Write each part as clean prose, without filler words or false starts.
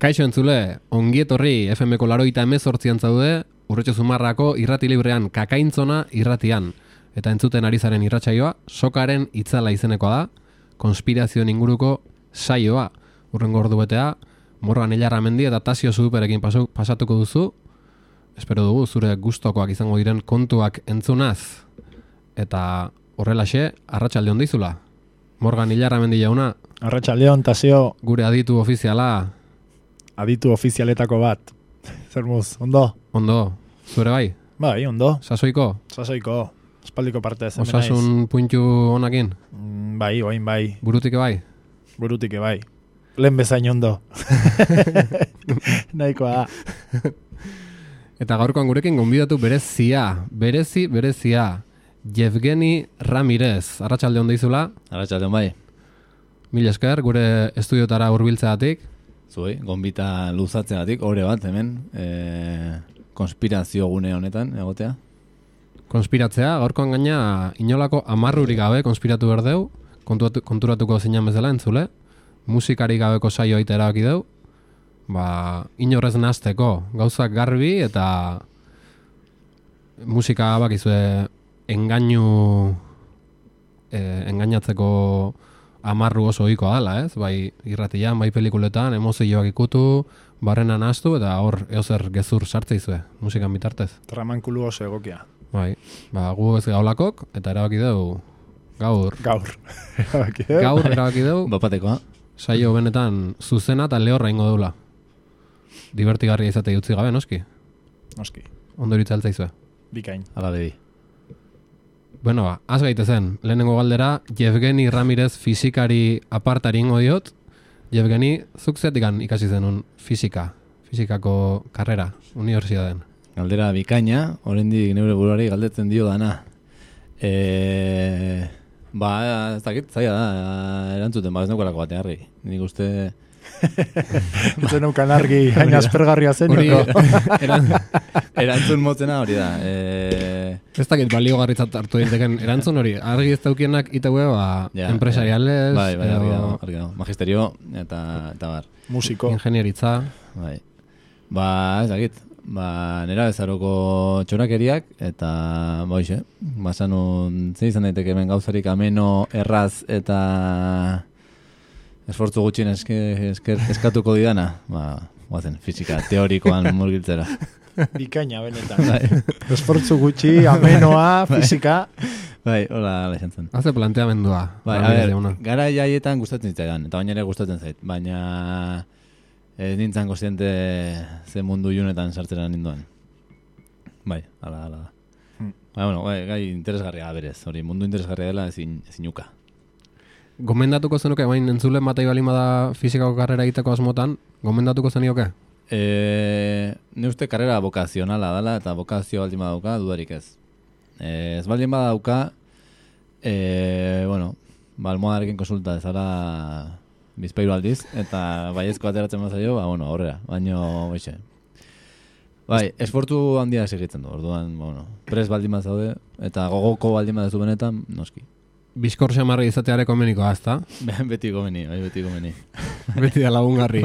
Kaixo entzule, ongietorri FM-ko 88 zaude, Urretxo Zumarrako irrati librean kakaintzona irratian. Eta entzuten ari zaren irratsaioa, sokaren itzala izenekoa da, konspirazioen inguruko saioa. Urrengo ordubetea, Morgan Illarramendi eta Tasio Zuduperekin pasatuko duzu. Espero dugu zure gustokoak izango diren kontuak entzunaz. Eta horrelaxe, arratsalde on dizula. Morgan Illarramendi jauna. Arratsalde on, Tasio. Gure aditu ofiziala. Aditu ofizialetako bat. Zer muz, ondo? Ondo, zure bai? Bai, ondo. Sasoiko? Sasoiko. Espaldiko parte ez. Osasun puntu honakin? Bai, oain bai. Burutike bai? Burutike bai. Lehen bezain ondo. Nahikoa da. Eta gaurkoan gurekin gonbidatu berezia. Yevgeni Ramirez. Arratsalde on dizula? Arratsalde on bai. Mil esker, gure estudiotara hurbiltzeagatik. Zuei, gonbita luzatzeagatik, ore bat hemen, konspirazio gune honetan, egotea. Konspiratzea, gaurkoan gaina inolako amarrurik gabe konspiratu berdeu, konturatuko zinan bezala entzule, musikari gabeko saio aita erabaki deu, inorrez nahazteko, gauzak garbi eta musika bakizue engainatzeko amarru oso ohikoa dela, ez? Bai irratian, bai pelikuletan, emozioak ikutu, barrena nahaztu eta hor eozer gezur sartze izue, musikan bitartez. Tramankulu oso egokia. Bai, gu ez gaulakok eta erabaki dugu gaur erabaki dugu Bapatekoa. Saio benetan zuzena eta lehorra ingo deula. Divertigarria izate utzi gabe, noski? Noski. Ondo iritza altzaizue. Bikain. Ala bebi. Bueno, az gaitezen, lehenengo galdera, Yevgeni Ramirez fizikari apartari ingo diot. Yevgeni, zuk zetikan ikasi zenun fizikako karrera, unibertsitatean. Galdera bikaina, oraindik neure buruari galdetzen dio dana. Ez dakit, zaila da, erantzuten, ez neukalako batean harri. Nik uste... Zen neukan argi, hain aspergarria zen. Erantzun motzena hori da. Ez dakit baliogarritzat hartu dinteken erantzun hori. Argi ez daukienak itaue, empresariales... Bai, argi dago. Magisterio eta bar. Musiko. Ingenieritza. Bai. Ez dakit. Nera bezaroko txorakeriak eta boixe. Basanun, zein izan daiteke hemen gauzarik ameno, erraz eta... esfortzu gutxien eskatuko didana, guazen, fizika teorikoan murgiltzera. Bikaina, benetan. Esfortzu gutxi, amenoa, fizika. Bai, hola izan zen. Haze planteamendua. Gara jaietan gustatzen zitzaidan, eta baina ere gustatzen zait. Baina ez nintzen kontziente ze mundu junetan sartzera ninduan. Bai, hala da. Gai interesgarria berez, hori mundu interesgarria dela ezin uka. Gomendatuko zenuke, bain entzulen batai balin bada fizikako karrera egiteko asmotan, gomendatuko zenioke? Ne uste karrera bokazionala dela eta bokazio baldin badauka, dudarik ez. Ez baldin badauka, almohadarekin konsulta ezara bizpairu aldiz, eta baiezko ateratzen bazaio, horrela, baino baixe. Bai, esfortu handia segitzen du, orduan, pres baldin bazaude, eta gogoko baldin badazu benetan, noski. Bizkor xamarri izateare komenikoa, ezta? Beti komeni. Beti da lagungarri.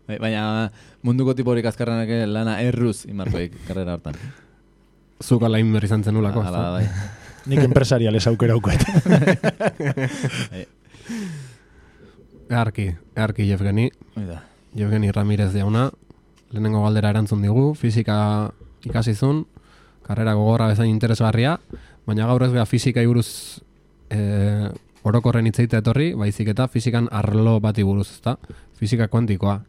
Baina munduko tiporik azkarrenak lana erruz imarkoik karrera hortan. Zuk ala inber izan zenulako, ezta? Bai. Nik empresariales aukera auket. Earki Yevgeni. Yevgeni Ramirez jauna. Lehenengo galdera erantzun digu, fizika ikasizun, karrera gogorra bezain interesgarria, baina gaur ez beha fizika buruz orokorren hitzeita etorri, baizik eta fizikan arlo bati buruz, ezta? Fizika kuantikoa.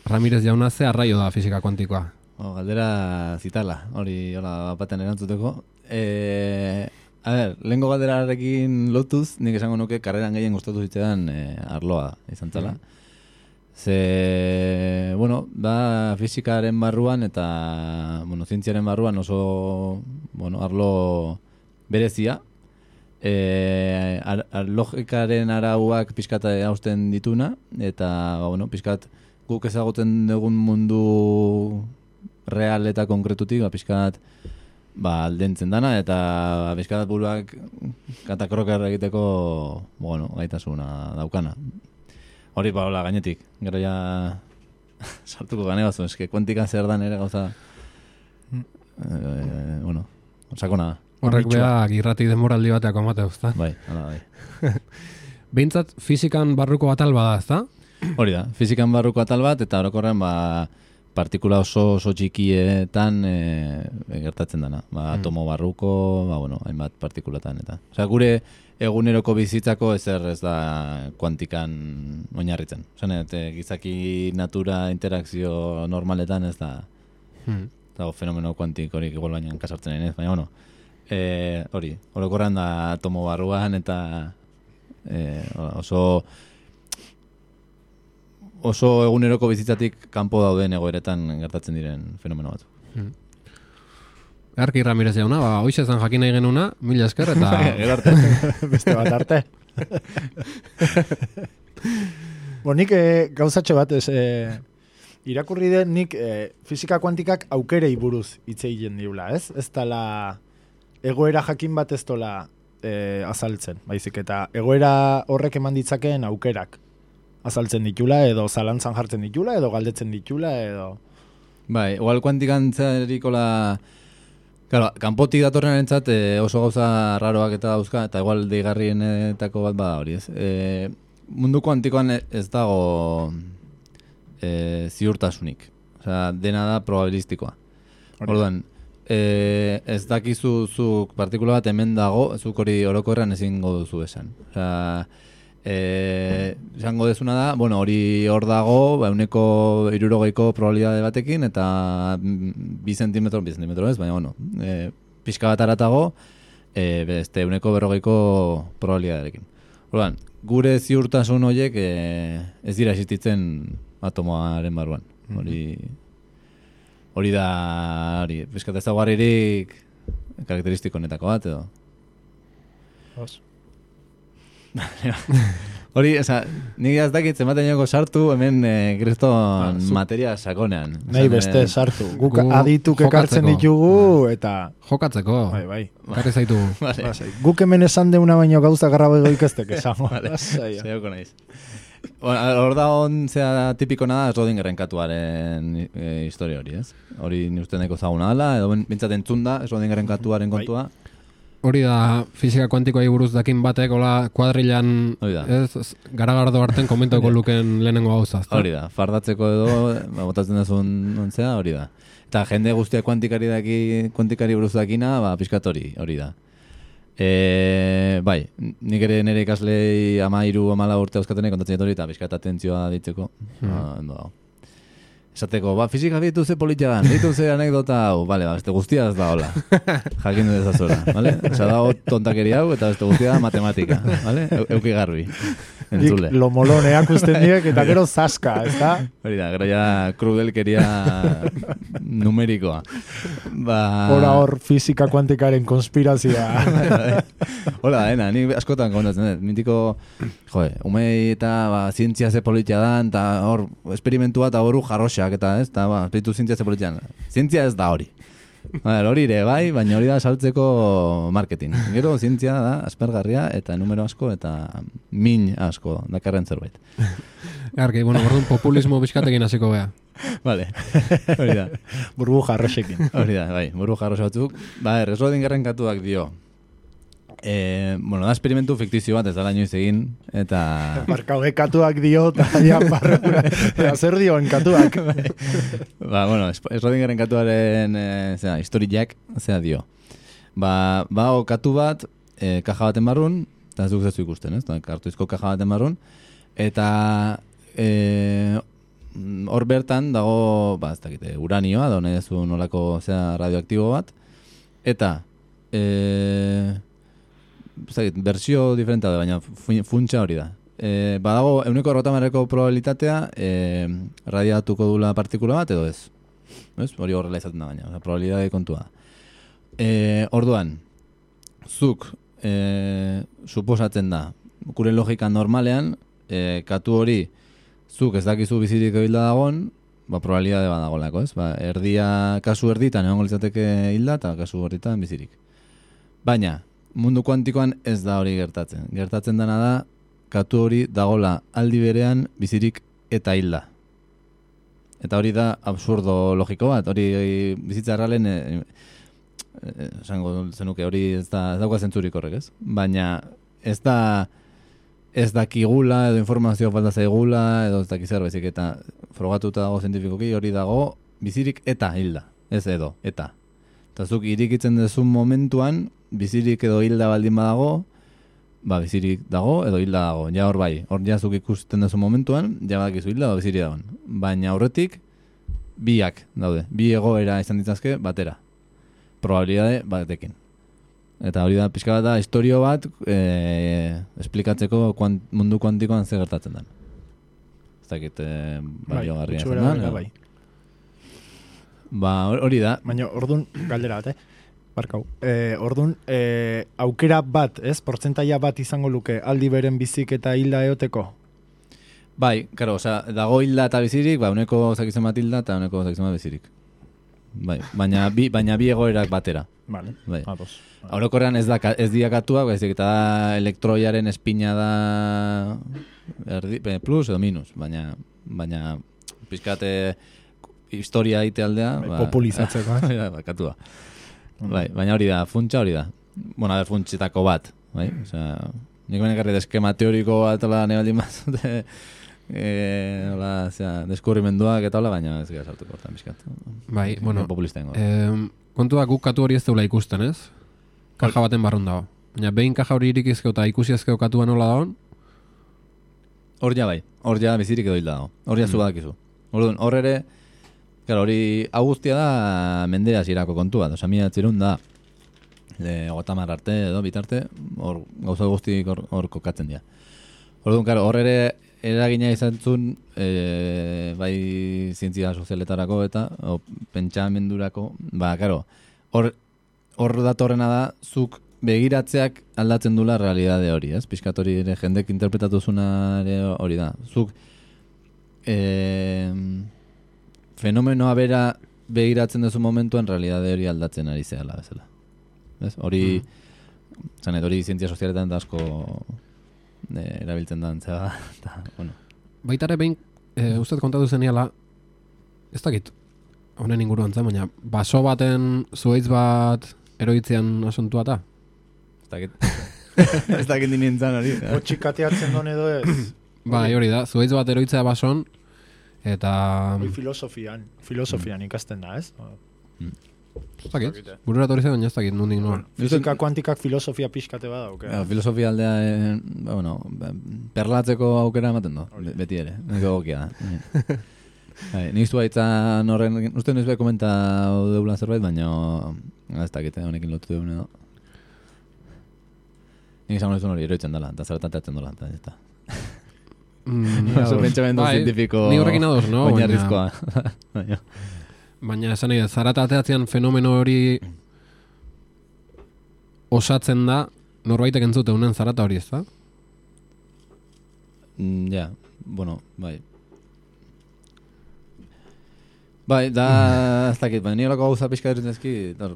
Ramirez jauna ze arraio da fizika kuantikoa? Galdera zitala, hori baten erantzuteko. Lehenko galderarekin lotuz, nik esango nuke karreran gehien gustatu zitzean arloa izan zela. Ze, fizikaren barruan eta, zientziaren barruan oso, arlo berezia. Logikaren arauak pixkat hausten dituna, eta, pixkat guk ezagutzen dugun mundu real eta konkretutik, pixkat aldentzen dana, eta pixkat buruak katakroker egiteko, gaitasuna daukana. Hori hola gainetik. Gero ja sartuko gane bazu, eske kuantika zer dan ere gauza. Bueno, sakona. Horrek beak irrati denboraldi bateak amate uzta. Bai, hala bai. Behintzat fizikan barruko atal bada, ezta? Hori da, fizikan barruko atal bat, eta orokorren partikula oso txikietan gertatzen dana. Atomo barruko, hainbat partikulatan eta. Osea, gure eguneroko bizitzako ezer ez da kuantikan oinarritzen. Osea, gizaki natura interakzio normaletan ez da dago fenomeno kuantikorik igual baina kasartzen ez, baina hori, orokorran da atomo barruan eta oso eguneroko bizitzatik kanpo dauden egoeretan gertatzen diren fenomeno bat. Arki Ramirez jauna, hoize zan jakin nahi genuna, mila esker eta... Arte. Beste bat arte. Nik gauzatxo bat, irakurri den nik fizika kuantikak aukerei buruz hitz egiten diula, ez? Ez dala egoera jakin bat ez dola azaltzen, baizik eta egoera horrek eman ditzakeen aukerak azaltzen ditula, edo zalantzan jartzen ditula, edo galdetzen ditula, edo... Bai, igual kuantikantzarikola... Claro, kanpotik datorren entzat oso gauza raroak eta dauzka, eta igual deigarrienetako bat bada hori, ez? Mundu kuantikoan ez dago ziurtasunik. Osea, dena da probabilistikoa. Orduan, ez dakizu zuk partikula bat hemen dago, zuk hori orokorrean ezingo duzu esan. Osea, esango dezuna da, hori hor dago, 160ko probabilidade batekin, eta 2 zentimetro ez, baina, pixka bat aratago, beste 140ko probabilidaderekin. Orduan, gure ziurtasun horiek ez dira existitzen atomoaren barruan. Hori da, pixkat ezaguarririk karakteristiko honetako bat, edo. Hori, nik ez dakit zenbaten joko sartu hemen kriston materia sakonean. Nahi beste sartu. Guk adituk ekartzen ditugu eta... Jokatzeko. Bai. Karri zaitu. Guk hemen esan deuna baino gauza garrabe ikastek esango. Zaioko naiz. Hor da zea tipikona da Schrödingeren katuaren historia hori, ez? Hori ni uste neko zaguna dela, edo bintzat entzun da Schrödingeren katuaren kontua. Hori da, fizika kuantikoa buruz dakin batek, hola, kuadrilan garagardo arten komentoko luken lehenengo gauza. Hori da, fardatzeko edo, botatzen dazun ontzea, hori da. Eta jende guztia kuantikari buruz dakina, pixkat hori da. Bai, nik ere nire ikaslei 13-14 urte euskatenek kontatzen hori eta pixkat atentzioa ditzeko. Esateko, fizika ditu ze politia dan, ditu ze anekdota hau, beste guztia ez da hola. Jakin du dezazora, bale? Osa dago tontakeri hau eta beste guztia da matematika, bale? Euki garbi, entzule. Lomoloneak usten diek eta gero zaska, ez da? Hori da, gero ja krudelkeria numerikoa. Hor fizika kuantikaren konspirazioa. Hola, ni askotan kontatzen dut. Mintiko, umei eta zientzia ze politia dan, eta hor esperimentua eta horu jarroxak eta ez, eta espiritu zientzia ze politian. Zientzia ez da hori. Hori ere, bai, baina hori da saltzeko marketing. Gero, zientzia da aspergarria eta numero asko eta min asko dakarren zerbait. Garki, orduan populismo bizkatekin hasiko bea. Vale, hori da. Burbu jarroxekin. Hori da, bai, burbu jarroxe batzuk. Schrödingeren katuak dio. Da esperimentu fiktizio bat ez da inoiz egin, eta... Barkaude katuak dio, eta zer dioen katuak. Schrödingeren katuaren historiak, zera dio. Katu bat, kaja baten barrun, eta ez duk zezu ikusten, ez? Kartuizko kaja baten barrun, eta hor bertan dago, ez dakite, uranioa, da nahi dezu nolako radioaktibo bat, eta versio diferenta da, baina funtsa hori da. Badago, 1/40ko probabilitatea radiatuko dula partikula bat, edo ez. Hori horrela izaten da, baina, probabilitate kontua. Orduan, zuk suposatzen da, gure logika normalean, katu hori zuk ez dakizu bizirik hilda dagoen, probabilitate bat dagoelako, ez? Kasu erditan egongo litzateke hilda, eta kasu erditan bizirik. Baina, mundu kuantikoan ez da hori gertatzen. Gertatzen dena da, katu hori dagola aldi berean bizirik eta hilda. Eta hori da absurdo logiko bat, hori bizitza erralen esango zenuke hori ez dauka zentzurik horrek, ez? Baina ez dakigula edo informazio falta zaigula edo ez dakizer bezik eta frogatuta dago zientifikoki hori dago bizirik eta hilda, ez edo, eta. Eta zuk irikitzen dezun momentuan bizirik edo hilda baldin badago, bizirik dago edo hilda dago. Ja hor bai, hor ja zuk ikusten dezun momentuan, ja badakizu hilda edo bizirik dagoen. Baina aurretik biak daude, bi egoera izan ditzazke batera. Probabilidade batekin. Eta hori da pixka bat da historio bat esplikatzeko mundu kuantikoan zer gertatzen den. Ez dakit baliogarria zen da. Bai. Hori da. Baina ordun galdera bat, Barkau. Ordun aukera bat, ez? Portzentaia bat izango luke aldi beren bizik eta hilda eoteko? Bai, karo, dago hilda eta bizirik, uneko zakizen bat hilda eta uneko zakizen bat bizirik. Bai, baina bi egoerak batera. Vale. Bai. Orokorrean ez diakatuak, baizik eta elektroiaren espina da plus edo minus, baina pizkate historia ite aldea, populizatzeko, katua. Bai, baina hori da, funtsa hori da. Bueno, funtsitako bat, bai? Osea, nik benekarri eskema teoriko bat ala nebaldin bat, deskubrimenduak eta hola, baina ez gara sartuko hortan bizkat. Bai, bueno, populista ingo. Kontua guk katu hori ez deula ikusten, ez? Kaja baten barrun dago. Baina behin kaja hori irikizkeo eta ikusiazkeo katua nola dagoen? Hor ja bai, hor ja bizirik edo hilda dago. Hor ja zu badakizu. Hor ere, claro, hori guztia da mendea zirako kontua. Osa, 1900 da, 30 arte edo bitarte, hor gauza guztik hor kokatzen dira. Hor ere eragina izan zuen bai zientzia sozialetarako eta pentsamendurako, hor datorrena da zuk begiratzeak aldatzen dula realidade hori, ez? Pixkat hori ere jendek interpretatu zuna hori da. Zuk fenomenoa bera begiratzen duzu momentuan realidade hori aldatzen ari zehala bezala. Ez? Hori hori zientzia sozialetan da asko erabiltzen da antzea, eta, bueno. Baitare behin, ustez kontatu zeniala, ez dakit, honen inguruan zen, baina baso baten zuhaitz bat eroitzean asuntua eta? Ez dakit nintzen hori. Otxikateatzen don edo ez? Bai, hori da, zuhaitz bat eroitzea bason, eta... Filosofian ikasten da, ez? Ez dakit, bururat hori zen, baina ez dakit, nundik noan. Fizika kuantikak filosofia pixkate bada, ok? Filosofia aldea, perlatzeko aukera ematen do, beti ere, nego gokia da. Niztu baitzan horren, uste nizue komenta deula zerbait, baina ez dakit, honekin lotu deun edo. Nik izan hori eroitzen dela, eta zeratan teatzen dela, eta ez da. Oso pentsamendu zientifiko oinarrizkoa. Baina esan nahi, zarata ateatzean fenomeno hori osatzen da, norbaitek entzute unen zarata hori, ez da? Ja, bueno, bai. Bai, da, ez dakit, baina nire lako gauza pixka duritzezki, da...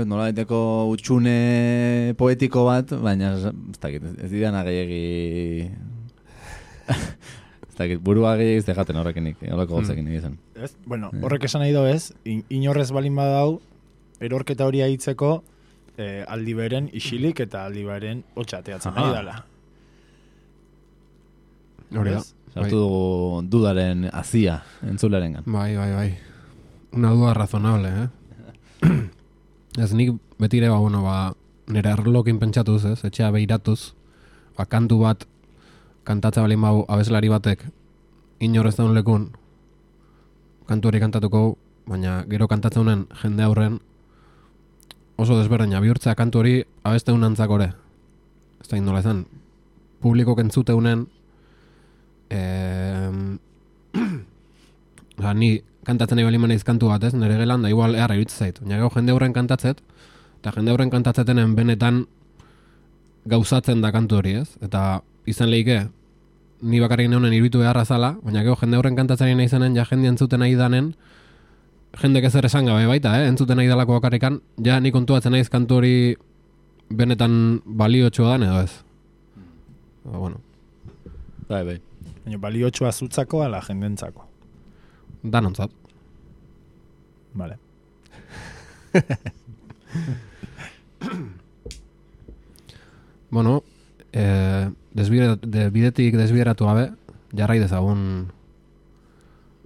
nola daiteko utxune poetiko bat, baina ez dakit, ez didana gehiagi... Ez dakit, burua gehiagiz dejaten horrekinik, holako gauzekin egizan. Bueno, horrek esan nahi do ez, inorrez balin badau, erorketa hori aitzeko aldi beren isilik eta aldi beren hotxateatzen nahi dala. Hori da. Sartu dugu dudaren azia entzularen gan. Bai. Una duda razonable, Ez nik betire, nire arlokin pentsatuz, ez, etxea behiratuz, kantu bat, kantatza balin bau abeslari batek inorrez daun lekun kantu hori kantatuko, baina gero kantatzen honen jende aurren oso desberdina bihurtzea kantu hori abeste unantzak ore. Ez da indola ezan, publiko kentzute unen ni kantatzen nahi balin maneiz kantu bat ez, nire gelan da igual eharra iruditzen zait. Baina gero jende aurren kantatzet, eta jende aurren kantatzetenen benetan gauzatzen da kantu hori ez, eta izan lehike, ni bakarrik neunen iruditu beharra zala, baina gero jende horren kantatzaren nahi zenen, ja jende entzuten nahi danen, jendek ezer esan gabe baita, entzuten nahi dalako bakarrikan, ja ni kontuatzen naiz kantu hori benetan baliotxoa dan edo ez. Bueno, Bai. Baina baliotsua zutzako ala jendentzako. danontzat. Vale. Bueno, bidetik desbideratu gabe, jarrai dezagun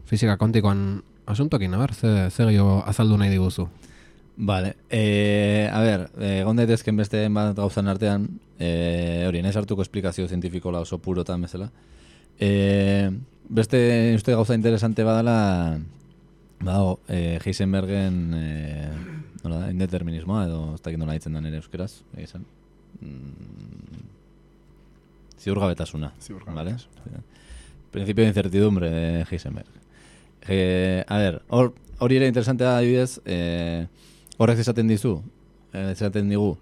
fisika kontikoan asuntokin, a ber, ze gehiago azaldu nahi diguzu. Vale, a ber, egon daitezken beste bat gauzan artean, hori, nahi sartuko esplikazio zientifikola oso purotan bezala. Beste uste gauza interesante badala, Heisenbergen indeterminismoa, edo ez dakit nola ditzen da nire euskeraz, egizan. Ziurgabetasuna. ¿Vale? Principio de incertidumbre de Heisenberg. A ver, hori ere interesantea adibidez, horrek esaten dizu, esaten digu,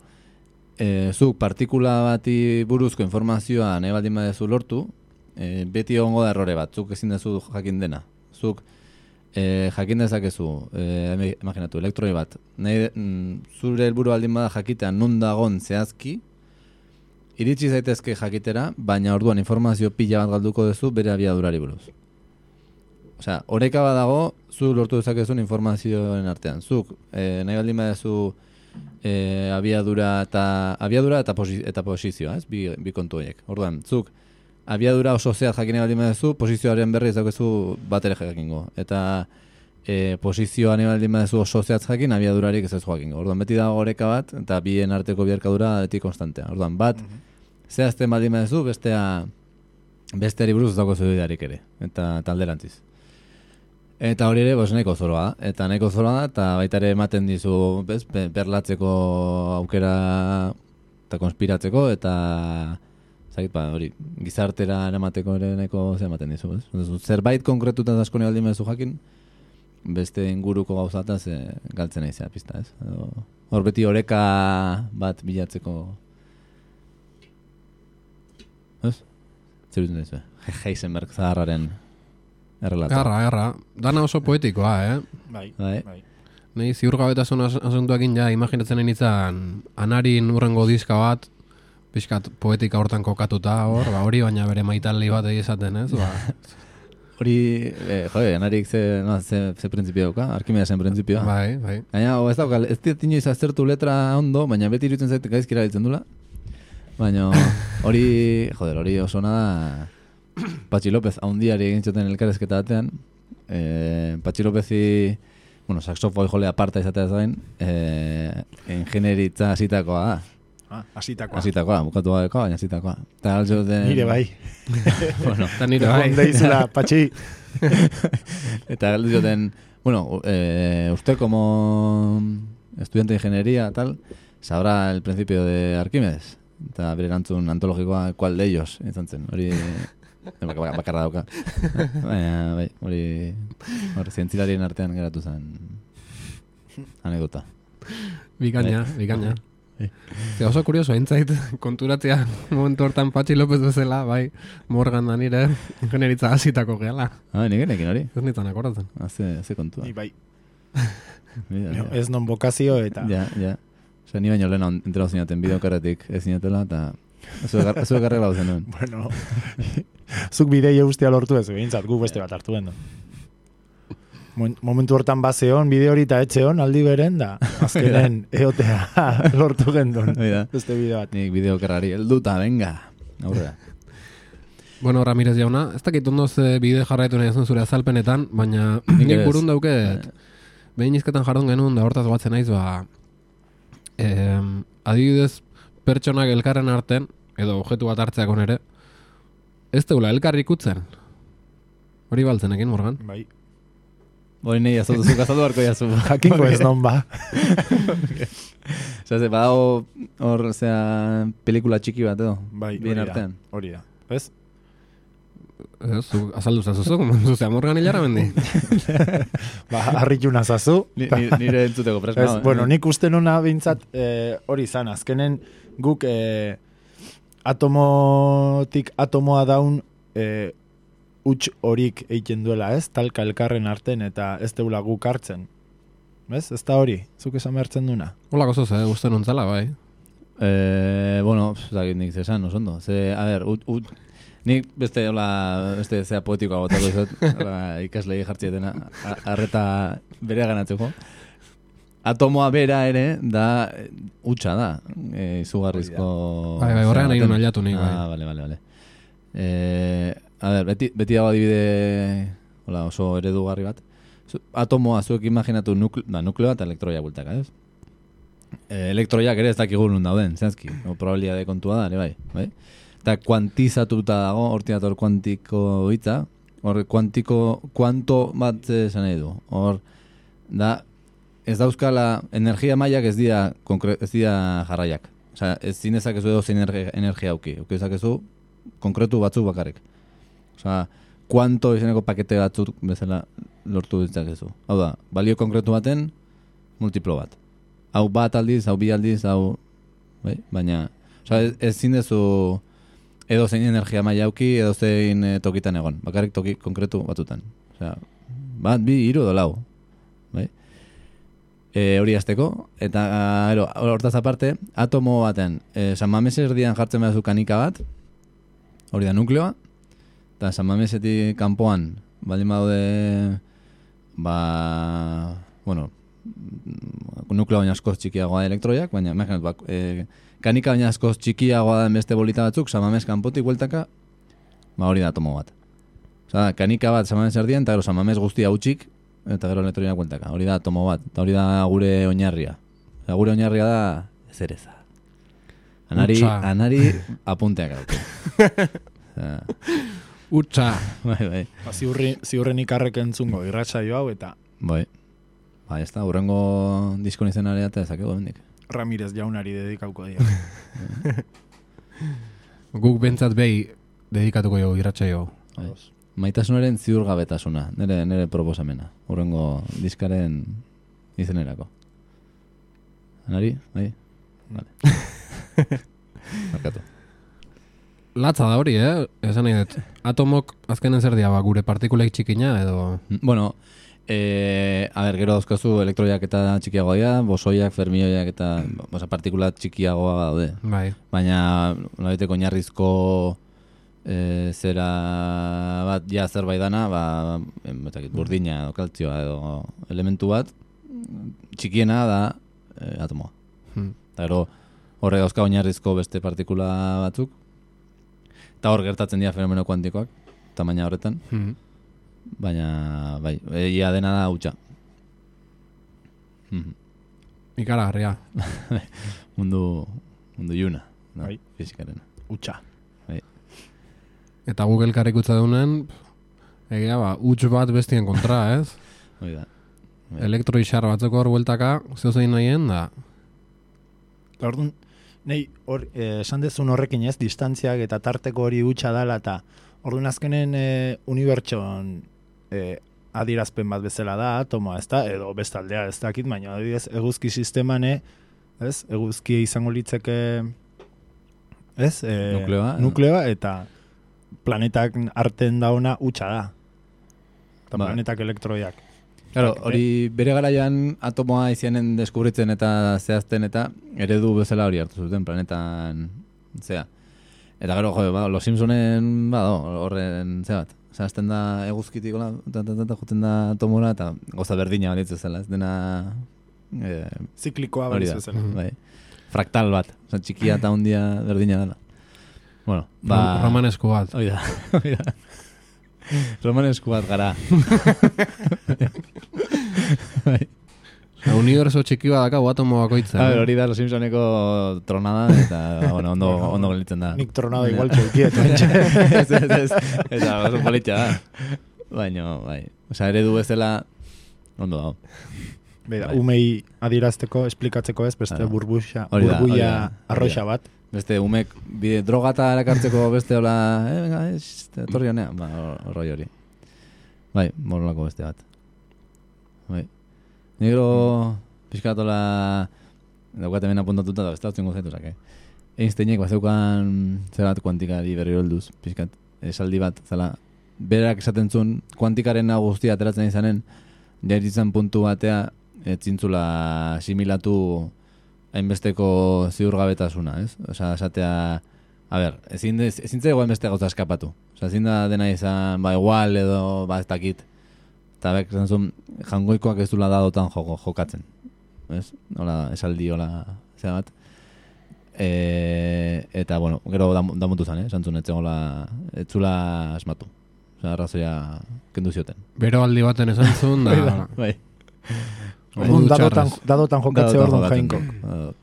zuk partikula bati buruzko informazioa nahi baldin badezu lortu, beti egongo da errore bat, zuk ezin dezu jakin dena. Zuk jakin dezakezu, imaginatu, elektroi bat, zure helburu baldin bada jakitea nun dagon zehazki, iritsi zaitezke jakitera, baina orduan informazio pila bat galduko duzu bere abiadurari buruz. Osea, oreka badago, zu lortu dezakezun informazioen artean. Zuk, nahi baldin badezu abiadura eta posizioa, ez? Bi kontu horiek. Orduan, zuk, abiadura oso zehat jakin nahi baldin badezu, posizioaren berri ez daukezu bat ere jakingo. Eta posizioa nahi baldin badezu oso zehat jakin, abiadurarik ez ez jakingo. Orduan, beti dago oreka bat, eta bien arteko biharkadura beti konstantea. Orduan, bat, zehazten baldin badezu, besteari buruz ez daukezu bidarik ere. Eta alderantziz. Eta hori ere, nahiko zoroa da. Eta nahiko zoroa da, eta baita ere ematen dizu, berlatzeko aukera eta konspiratzeko, eta hori, gizartera eramateko ere nahiko ematen dizu. Zerbait konkretuta asko nahi baldin baduzu jakin, beste inguruko gauzataz galtzen naizea pista, ez? Hor beti oreka bat bilatzeko. Ez? Zer dut nahizu, Heisenberg zaharraren errelata. Garra. Dana oso poetikoa, Bai. Nei ziurgabetasun asuntuakin ja imaginatzen nintzen Anarin urrengo diska bat, pixkat poetika hortan kokatuta hori baina bere maitaldi bat esaten, ez? Hori, Anarik ze printzipio dauka, Arkimedesen printzipioa. Bai. Baina, ez dauka, ez inoiz aztertu letra ondo, baina beti irutzen zait gaizkira ditzen dula. Baina hori oso nada Patxi López haundiari egin zuten elkarrezketa batean. Patxi Lópezi, saxofoi jole aparta izatea zain, ingenieritza hasitakoa da. Hasitakoa, bukatu gabeko, baina hasitakoa. Nire bai. Eta nire bai. Deizula, Patxi. Eta galdu zioten, usted como estudiante de ingeniería, sabrá el principio de Arquímedes. Eta bere erantzun antologikoa, ¿cuál de ellos? Izan zen, hori bakarra dauka. Baina, hori zientzilarien artean geratu zen anekdota. Bikaina. Ze oso kurioso, aintzait konturatzea momentu hortan Patxi López bezala, bai, Morgan da nire ingenieritza hasitako gehala. Nik enekin hori. Ez nintzen akordatzen. Ze kontua. Ni bai. Ez non bokazio eta... Ja. Osa, ni baino lehena enterau zinaten bideokarretik ez zinatela, eta ez egarrela duzen duen. Bueno, zuk bidei eustea lortu ez, behintzat, gu beste bat hartu den. Momentu hortan bazeon, bide hori eta etxeon, aldi beren, da azkenen eotea lortu gendun. Beste bide bat. Nik bideokarrari helduta, venga, aurrera. Bueno, Ramirez jauna, ez dakit ondo ze bide jarraitu nahi zuen zure azalpenetan, baina nik burun dauket, behin izketan jardun genuen, da hortaz batzen naiz, adibidez, pertsonak elkarren arten, edo objektu bat hartzeako nere, ez teula elkarri ikutzen. Hori baltzenekin, Morgan? Bai. Hori nahi azaldu harko jazu. Jakinko ez non ba. Zase, badago hor, pelikula txiki bat edo? Bai, hori da. Ez? Azaldu zazuzuk, zuzea Morgan hilara mendi. Harritu nazazu. Nire entzuteko presna. Bueno, nik uste nuna bintzat hori zan, azkenen guk atomotik atomoa daun huts horik egiten duela, ez? Talka elkarren arten eta ez deula guk hartzen. Ez? Ez da hori? Zuk esan behartzen duna? Olako zoz, uste nuntzala, bai. Bueno, nik zesan, oso ondo. A ber, nik beste zea poetikoa botako izot, ikaslei jartzietena, arreta bere ganatzeko. Atomoa bera ere, da, hutsa da, izugarrizko... Bai, horrean nahi nuen aliatu nik, bai. Vale. A ber, beti dago adibide, oso eredugarri bat. Atomoa zuek imaginatu nukleo eta elektroia bultaka, ez? Elektroiak ere ez dakigu nun dauden, zehazki, probabilitate kontua da, ere bai? Eta kuantizatuta dago, hortinator kuantiko hitza, hor kuanto bat esan nahi du, hor, da, ez dauzkala, energia mailak ez dira jarraiak. Osea, ez zinezakezu edo zein energia auki dezakezu konkretu batzuk bakarrik. Osea, kuanto izeneko pakete batzuk bezala lortu ditzakezu. Hau da, balio konkretu baten multiplo bat. Hau bat aldiz, hau bi aldiz, hau... Bai? Baina, osea, ez zinezu edo zein energia maila auki edo zein tokitan egon. Bakarrik toki konkretu batutan. Osea, bat, bi, hiru edo lau. Bai? Hori azteko, eta hortaz aparte, atomo baten, San Mames erdian jartzen behazu kanika bat, hori da nukleoa, eta San Mamesetik kanpoan, baldin badaude, nukleo baina askoz txikiagoa da elektroiak, baina imaginatu, kanika baina askoz txikiagoa da beste bolita batzuk, San Mames kanpotik bueltaka, hori da atomo bat. Osa, kanika bat San Mames erdian, eta San Mames guztia utxik, eta gero elektroiak bueltaka. Hori da atomo bat, eta hori da gure oinarria. Gure oinarria da zereza. Anari apunteak hau. Utsa. Bai. Ziurren ikarrek entzungo irratsaio hau, eta... Bai, ez da, hurrengo diskon izenarea eta ezakego bendik. Ramirez jaunari dedikauko dira. Guk bentsat behi dedikatuko jo irratsaio. Bai. Maitasunaren ziurgabetasuna, nire proposamena, hurrengo diskaren izenerako. Anari? Bai? Vale. Markatu. Latza da hori, esan nahi dut. Atomok azkenen zer dia, gure partikulek txikina edo... Bueno, gero dauzkazu elektroiak eta txikiagoa dira, bosoiak, fermioiak eta partikula txikiagoa daude. Bai. Baina, nolabiteko oinarrizko zera bat ja zerbait dana, burdina edo kaltzioa edo elementu bat, txikiena da atomoa. Eta gero horre dauzka oinarrizko beste partikula batzuk, eta hor gertatzen dira fenomeno kuantikoak, tamaina horretan, baina bai, ia dena da hutsa. Ikaragarria. mundu iuna, bai. Fizikaren. Hutsa. Eta Google karikutza deunen, egia huts bat bestien kontra, ez? Hoi da. Elektroixar batzeko hor bueltaka, zeozein nahien da. Orduan, esan dezun horrekin ez, distantziak eta tarteko hori hutsa dala, eta orduan azkenen unibertson adirazpen bat bezala da, atomoa, ez da, edo bestaldea ez dakit, baina adibidez, eguzki sisteman, ez? Eguzki izango litzeke, ez? Nukleoa, eta planetak arten dauna hutsa da. Eta planetak elektroiak. Claro, hori bere garaian atomoa izanen deskubritzen eta zehazten eta eredu bezala hori hartu zuten planetan zea. Eta gero, Los Simpsonen horren zea bat. Zehazten da eguzkitik joten da atomora eta goza berdina balitzu zela. Ez dena... ziklikoa balitzu zela. Bai. Fraktal bat. Txikia eta hundia berdina dela. Bueno, romanesku bat. Oida. Romanesku bat gara. Universo txiki bat daka atomo bakoitza. Hori da Los Simpsoneko tronada eta ondo gelitzen da. Nik tronada igual txukiet. Eta oso politxa da. Baina, bai. Osa, eredu bezala ondo dago. Beda, umei adirazteko, esplikatzeko ez, beste burbuia arroxa bat. Beste umek drogata erakartzeko beste hola, venga, etorri honean, horroi hori. Bai, morolako beste bat. Bai. Negro pixkatola daukat hemen apuntatuta da beste hautzen gozaitu Einsteinek bazeukan zebat kuantikari berri holduz, pixkat, esaldi bat, zela, berak esaten zuen kuantikaren guztia ateratzen izanen, jairitzen puntu batea, etzintzula asimilatu hainbesteko ziurgabetasuna, ez? Osea, esatea, a ber, ezin zego hainbeste gauza eskapatu. Osea, ezin da dena izan, igual edo, ez dakit. Eta bek, zantzun, jangoikoak ez dula dadotan jokatzen. Ez? Hola, esaldi, hola, zera bat. Eta, bueno, gero damutu zen, zantzun, etzula asmatu. Osea, arrazoia kendu zioten. Bero aldi baten esan zuen, da... Bai. Dadotan jokatze hor don jainkok.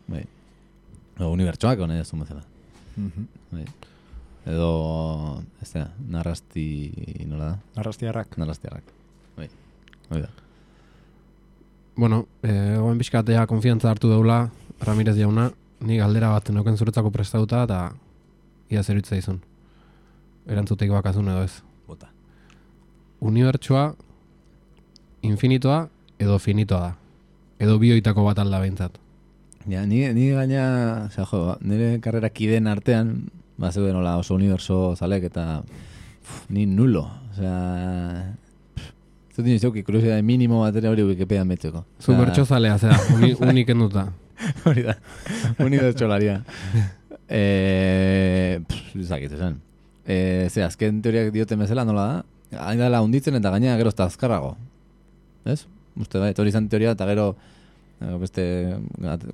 Bai. Unibertsoak hone ez bezala. Bai. Edo, ez da, narrasti, nola da? Narrastiarrak. Bai. Hoi da. Bueno, oen bizkatea konfiantza hartu daula, Ramirez jauna, ni galdera bat neuken zuretzako prestatuta, eta ia zeritza izun. Erantzuteik bakazun edo ez. Bota. Unibertsoa, infinitoa, edo finitoa da. Edo bioitako bat alda behintzat. Ja, ni gaina, nire karrera kideen artean, zeuden hola oso uniberso zalek, eta ni nulo. Osea, zut dino izauki, kuriosidade minimo bat ere hori Wikipedian metxeko. Zu bertso zalea, zera, unik enduta. Hori da, unibertso laria. Zakit, esan. Azken teoriak dioten bezala, nola da? Hain dela hunditzen eta gaina gero ezta azkarrago. Ez? Uste bai, hori izan teoria eta gero beste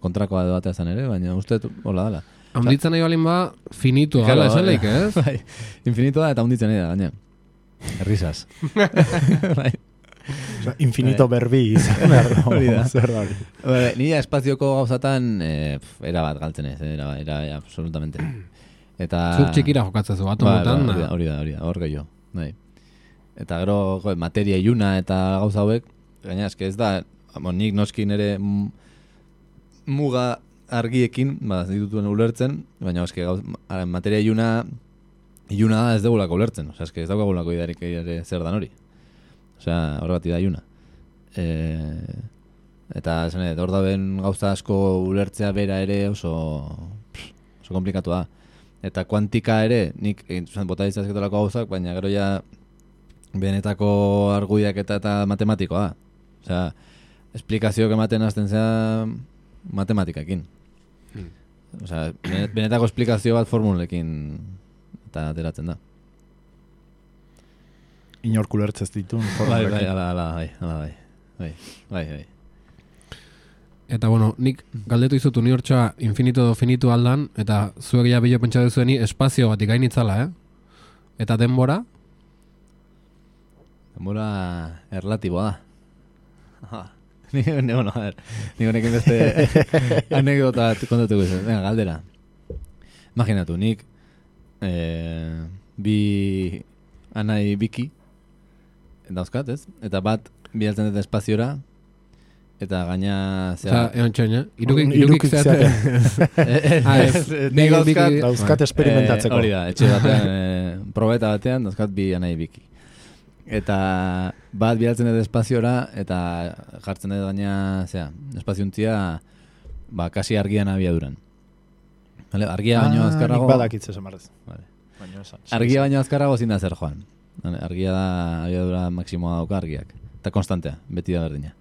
kontrakoa edo batea zan ere, baina uste hola dela. Hunditzen nahi balin ba, finitoa dela esan leik, ez? Bai, infinitoa da eta hunditzen nahi da, gaina. Errizaz. Bai. Infinito berbi izan behar da. Hori da. Zer da hori. Nire espazioko gauzatan era bat galtzen ez, era absolutamente. Eta... Zuk txikira jokatzezu, atomotan. Hori da, hor gehiago. Bai. Eta gero, materia iluna eta gauza hauek, gaina eske ez da, nik noskin ere muga argiekin, ditutuen ulertzen, baina eske materia iluna da ez dugulako ulertzen, osea, eske ez daukagulako idarik ere zer dan hori. Osea, horregatik da iluna. Eta esan edo, hor daben gauza asko ulertzea bera ere oso komplikatu da. Eta kuantika ere, nik bota ditzazketolako gauzak, baina gero ja benetako argudiak eta matematikoa da. Osea, esplikazioak ematen hasten zea matematikakin. Osea, benetako esplikazio bat formulekin eta ateratzen da. Inork ulertzez ditun formulekin. Bai. Eta bueno, nik galdetu izut unibertsoa infinito edo finito aldan, eta zuek ja bilo pentsa duzueni espazio bat ikainitzala, Eta denbora? Denbora erlatiboa da. Nik honekin beste anekdota kontatuko izan. Venga, galdera. Imaginatu, nik bi anai biki dauzkat, ez? Eta bat bialtzen dut espaziora, eta gaina... Egon txoin, irukik zeaten. Nik dauzkat experimentatzeko. Hori da, etxe batean, probeta batean, dauzkat bi anai biki. Eta bat bialtzen dut espaziora, eta jartzen dut gaina, espaziuntzia, kasi argian abiaduran. Vale, argia baino azkarrago... Nik badakitze zamarrez. Vale. Argia baino azkarrago zin da zer joan. Argia da abiadura maksimoa dauka argiak. Eta konstantea, beti da berdina.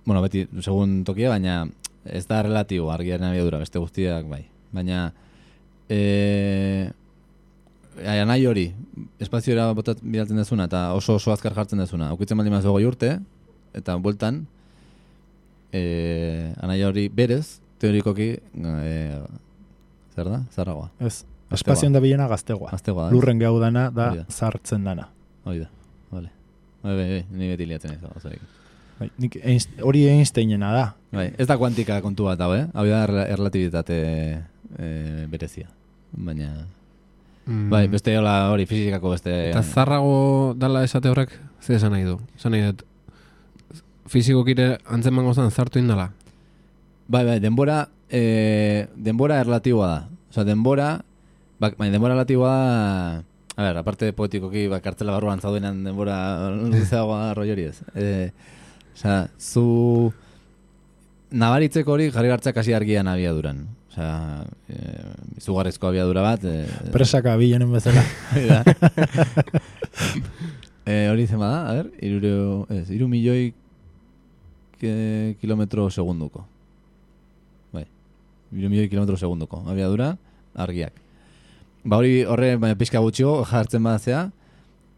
Bueno, beti, segun tokia, baina ez da relatibo argiaren abiadura, beste guztiak bai. Baina nahi hori, espazioera bidaltzen dezuna eta oso azkar jartzen dezuna. Aukitzen baldin mazu goi urte, eta bueltan anai hori berez, teorikoki zer da? Zarragoa. Ez, espazioan da bilena gaztegoa. Lurren gau dana da zartzen dana. Hori da, bale. Ni beti liatzen ez. Hori Einsteinena da. Ez da kuantika kontu bat hau, hau da relatibitate berezia. Baina... Bai, beste hori fizikako beste... Eta zarrago dala esate horrek, ze esan nahi du? Esan nahi dut, fizikokire antzeman gozan zartu indala? Bai, denbora erlatiboa da. Osa, denbora erlatiboa da... A ber, aparte poetikoki, kartzela barruan zaudenan denbora luzeagoa roi hori ez. Osa, zu... Nabaritzeko hori jarri gartzak hasi argian abiaduran. Osea, izugarrizko abiadura bat... Presaka bilenen bezala. Hori zen bada, a ber, 3 milioi kilometro segunduko. milioi kilometro segundoko abiadura argiak. Ba hori horre pixka gutxigo jartzen badatzea,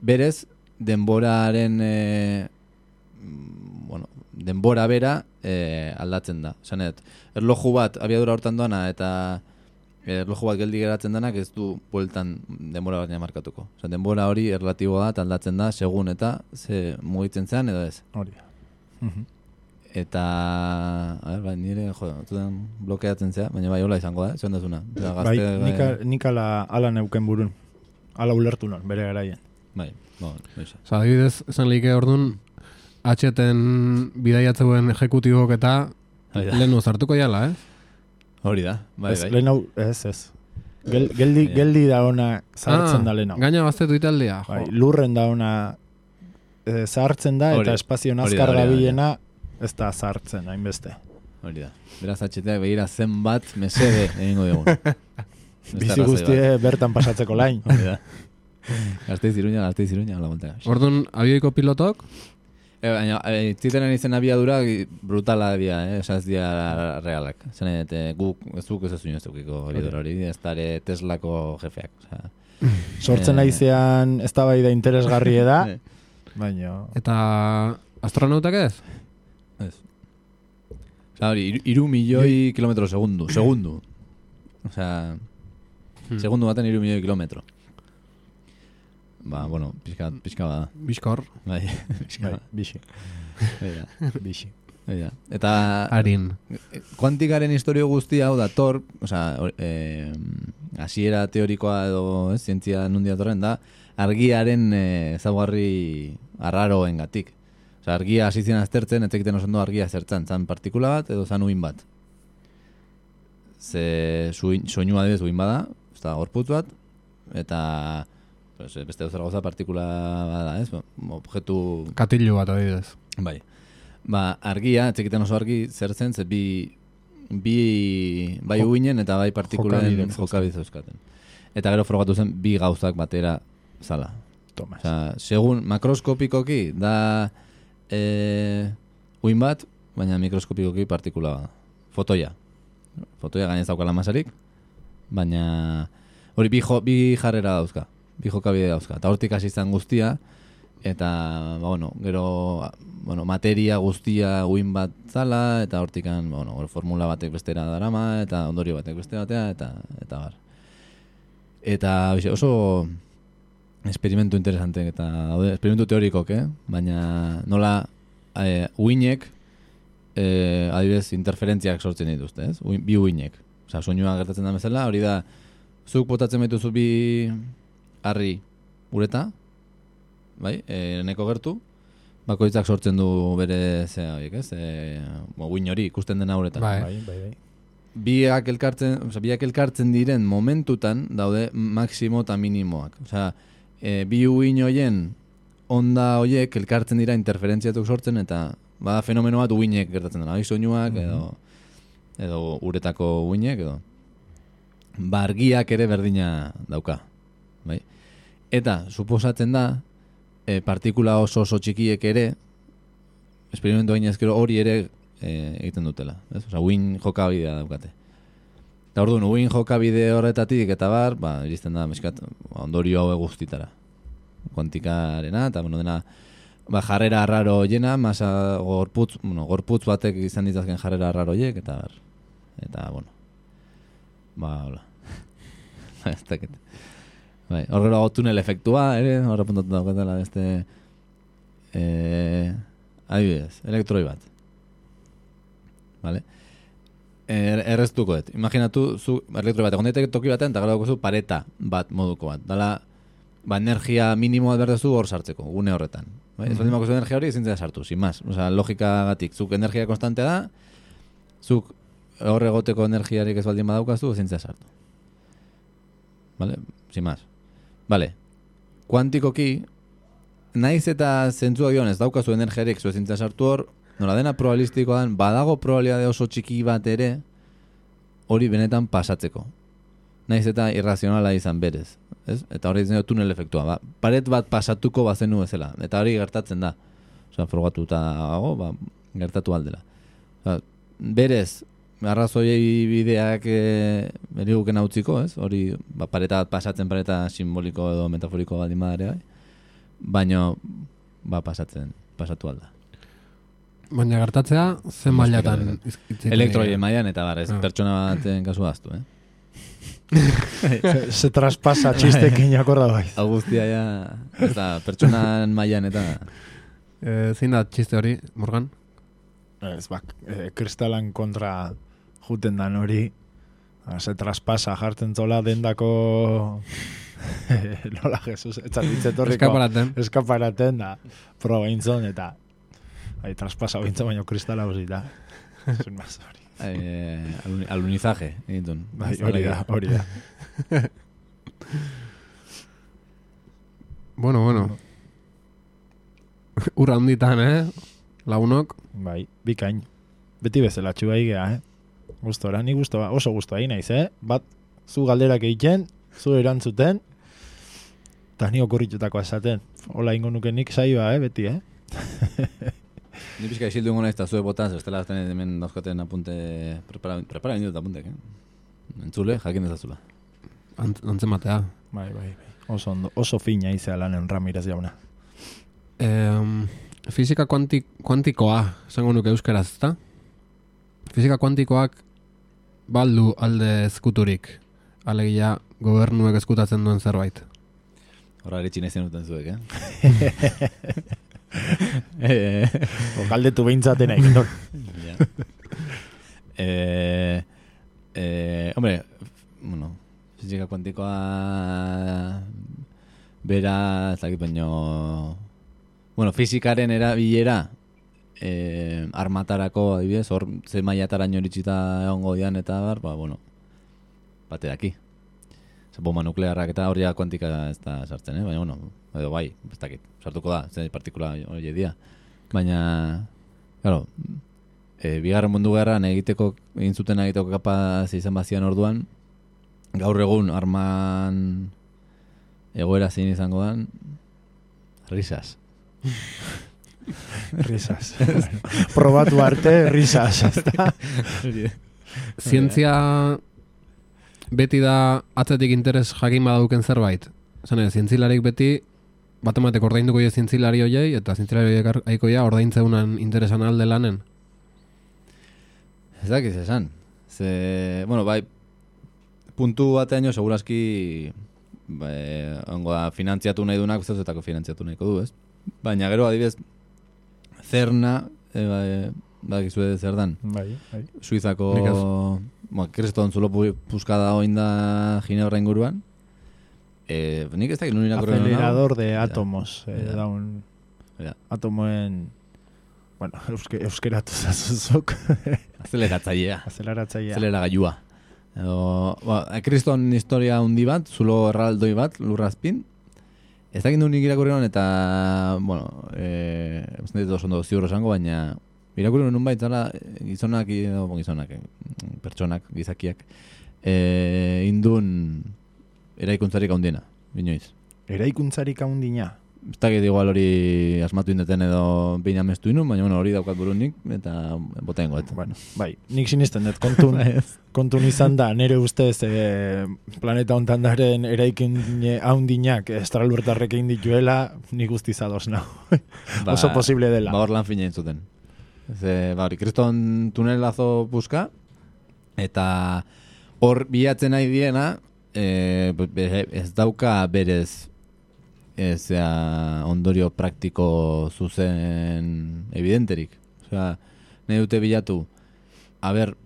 berez denboraren denbora bera aldatzen da. Esanet, erloju bat abiadura hortan doana eta erloju bat geldi geratzen denak ez du bueltan denbora bat markatuko. Osa, denbora hori erlatiboa da, aldatzen da, segun eta ze mugitzen zean edo ez. Hori. Eta, nire, zuten blokeatzen zea, baina bai hola izango da, zuen dazuna. Bai, nik ala neuken burun. Ala ulertu non, bere garaien. Bai, baixa. Osa, adibidez, esan like orduan, HT-en bidaiatzeuen ejekutibok eta lehen uzartuko jala, Hori da, bai. Lehen hau, ez. Geldi da ona zahartzen da lehen hau. Gaina baztetu italdea. Bai, lurren da ona zahartzen da, eta espazio nazkar gabilena ez da zahartzen, hainbeste. Hori da. Beraz HT-ak begira zenbat mesede egingo dugun. Bizi guztie bertan pasatzeko lain. Hori da. Gazteiz Iruña, hola montaga. Orduan, abioiko pilotok? Baina, zitenen izen abiadura brutala dia, esaz dia realak. Zanet, guk ez ez dukiko hori ez dara Teslako jefeak. Sortzen aizean ez da bai da interesgarri da, baina... Eta astronautak ez? Ez. Hori, 3 milioi kilometro segundu. Osea, segundu baten 3 milioi kilometro. Ba, bueno, pixka bada. Bizkor. Bai, pixka. Bixi. Bixi. Eta... Harin. Kuantikaren historio guztia hau da, hasiera teorikoa edo zientzia nundia torren da, argiaren ezaugarri arraroengatik. Osea, argia hasi ziren aztertzen, ez egiten oso ondo argia zertzen, zan partikula bat edo zan uin bat. Ze soinua adibidez uin bada, ez da gorputz bat, eta... beste dozer gauza partikula bada, ez? Objektu... Katillu bat adibidez. Bai. Ba, argia, etxekiten oso argi zertzen, ze bai uinen eta bai partikulen jokabide euskaten. Eta gero frogatu zen bi gauzak batera zala. Tomas. Osea, segun makroskopikoki da uin bat, baina mikroskopikoki partikula bada. Fotoia gainez daukala masarik, baina hori bi jarrera dauzka. Bi jokabide dauzka. Eta hortik hasi izan guztia, eta gero materia guztia uin bat zala, eta hortikan formula batek bestera darama, eta ondorio batek beste batea, eta bar. Eta oso experimentu interesante, eta experimentu teorikok, baina nola uinek adibidez interferentziak sortzen dituzte, ez? Bi uinek. Osea, soinua gertatzen da bezala, hori da, zuk botatzen baituzu bi harri ureta, bai, neko gertu, bakoitzak sortzen du bere zea horiek, ez? Uin hori ikusten dena uretan. Bai. Biak elkartzen diren momentutan daude maximo eta minimoak. Osea, bi uin horien onda horiek elkartzen dira interferentziatuk sortzen eta bada fenomeno bat uinek gertatzen dena. Bai, soinuak edo uretako uinek edo. Argiak ere berdina dauka. Bai. Eta, suposatzen da, partikula oso txikiek ere, esperimentu gainez gero hori ere egiten dutela. Osea, uin jokabidea daukate. Eta orduan, uin jokabide horretatik eta bar, iristen da, ondorio hau guztitara. Kuantikarena, eta dena, jarrera arraro jena, masa gorputz batek izan ditazken jarrera arraro jek, eta bar. Eta, hola. Ez dakit. Bai, horrela tunel efektua, horre puntatu daukatela beste adibidez, elektroi bat. Vale? Erreztuko dut. Imaginatu, zu elektroi bat, egon daiteke toki batean, eta gero zu pareta bat moduko bat. Dala, energia minimoa berdezu hor sartzeko, gune horretan. Bai? Ez baldin bakozu energia hori ezin zera sartu, sin más. Osea, logikagatik, zuk energia konstantea da, zuk horre egoteko energiarik ez baldin badaukazu, ezin zera sartu. Vale? Sin más. Vale, kuantikoki, naiz eta zentzua gion ez daukazu energiarik zu ezintza sartu hor, nola dena probabilistikoa den, badago probabilidade oso txiki bat ere, hori benetan pasatzeko. Naiz eta irrazionala izan berez. Ez? Eta hori ditzen tunel efektua. Paret bat pasatuko bazenu bezala. Eta hori gertatzen da. Osea, frogatuta gertatu aldela. Berez, arrazoiei bideak beriguken hautziko, ez? Hori, pareta bat pasatzen, pareta simboliko edo metaforiko baldin badare, baina, pasatu alda. Baina gertatzea, zen mailatan? Elektroien mailan eta ez pertsona baten kasu aztu, Se traspasa txistekin akorda bai. Augustia ja, eta pertsonan mailan eta... Zein da txiste hori, Morgan? Ez kristalan kontra juten dan hori, se traspasa jartzen zola dendako nola Jesus, etzatitzetorriko eskaparaten da proba intzon eta traspasa bintzon baino kristala hosita. Zun maz hori. Alunizaje, egitun. Hori da. Bueno. Urra handitan, lagunok. Bai, bikain. Beti bezala txuga igea, Gustora, ni gustoa, oso gustoa egin naiz, Bat, zu galderak egiten, zu erantzuten, eta ni okurritutako esaten. Hola ingo nuke nik saioa, beti, Ni pixka isildu ingo naiz eta zue botan, zestela azten hemen dauzkaten apunte, prepara indut apuntek, Entzule, jakin ezazula. Antzematea. Bai. Oso fina izea lanen Ramirez jauna. Fisika kuantikoa, esango nuke euskaraz, ezta? Fisika kuantikoak baldu alde ezkuturik. Alegia, gobernuek ezkutatzen duen zerbait. Horra eritxin ezin duten zuek, Galdetu behintzaten egin. Hombre, fisika kuantikoa bera, ez dakit baino... fisikaren erabilera armatarako, adibidez, hor ze mailataraino iritsita egongo dian eta bate daki. Bomba nuklearrak eta hori kuantika ez da sartzen, baina, edo bai, ez dakit, sartuko da, ze partikula hori edia. Baina, claro, bigarren mundu gerran egin zuten egiteko kapaz izan bazian orduan, gaur egun arman egoera zein izango dan, risas. Risas. Probatu arte, risas. Zientzia beti da atzetik interes jakin badauken zerbait. Zene, zientzilarik beti batematek ordainduko jo zientzilari hoiei eta zientzilari hoiek aiko ja ordaintzeunan interesan alde lanen. Ez dakiz esan. Bai, puntu batean jo seguraski ongo da finantziatu nahi dunak, zeuzetako finantziatu nahiko du, ez? Baina gero, adibidez, Cerna, badakizue zer dan? Bai. Suizako, kriston zulo puskada oin da Ginebra inguruan. Nik ez dakit nun irakurri nuen. Acelerador de átomos. Atomoen, euskeratu zazuzok. Aceleratzailea. Aceleragailua. Kriston historia hundi bat, zulo erraldoi bat, lurrazpin. Ez dakit nik irakurri nuen eta, ez dut oso ziurro esango, baina irakurri nuen bait zara gizonak, pertsonak, gizakiak, indun eraikuntzarik haundiena, binoiz. Eraikuntzarik haundina? Ez dakit igual hori asmatu indeten edo behin amestu inun, baina hori daukat burunik eta bota ingoet. Bai, nik sinisten dut kontun izan da, nire ustez planeta hontan daren eraikin haundinak estralurtarrek egin dituela, nik guztiz ados nahu. Oso posible dela. Hor lan fina entzuten. Hori, kriston tunelazo puska, eta hor bilatzen nahi diena, ez dauka berez ondorio praktiko zuzen evidenterik. Nahi dute bilatu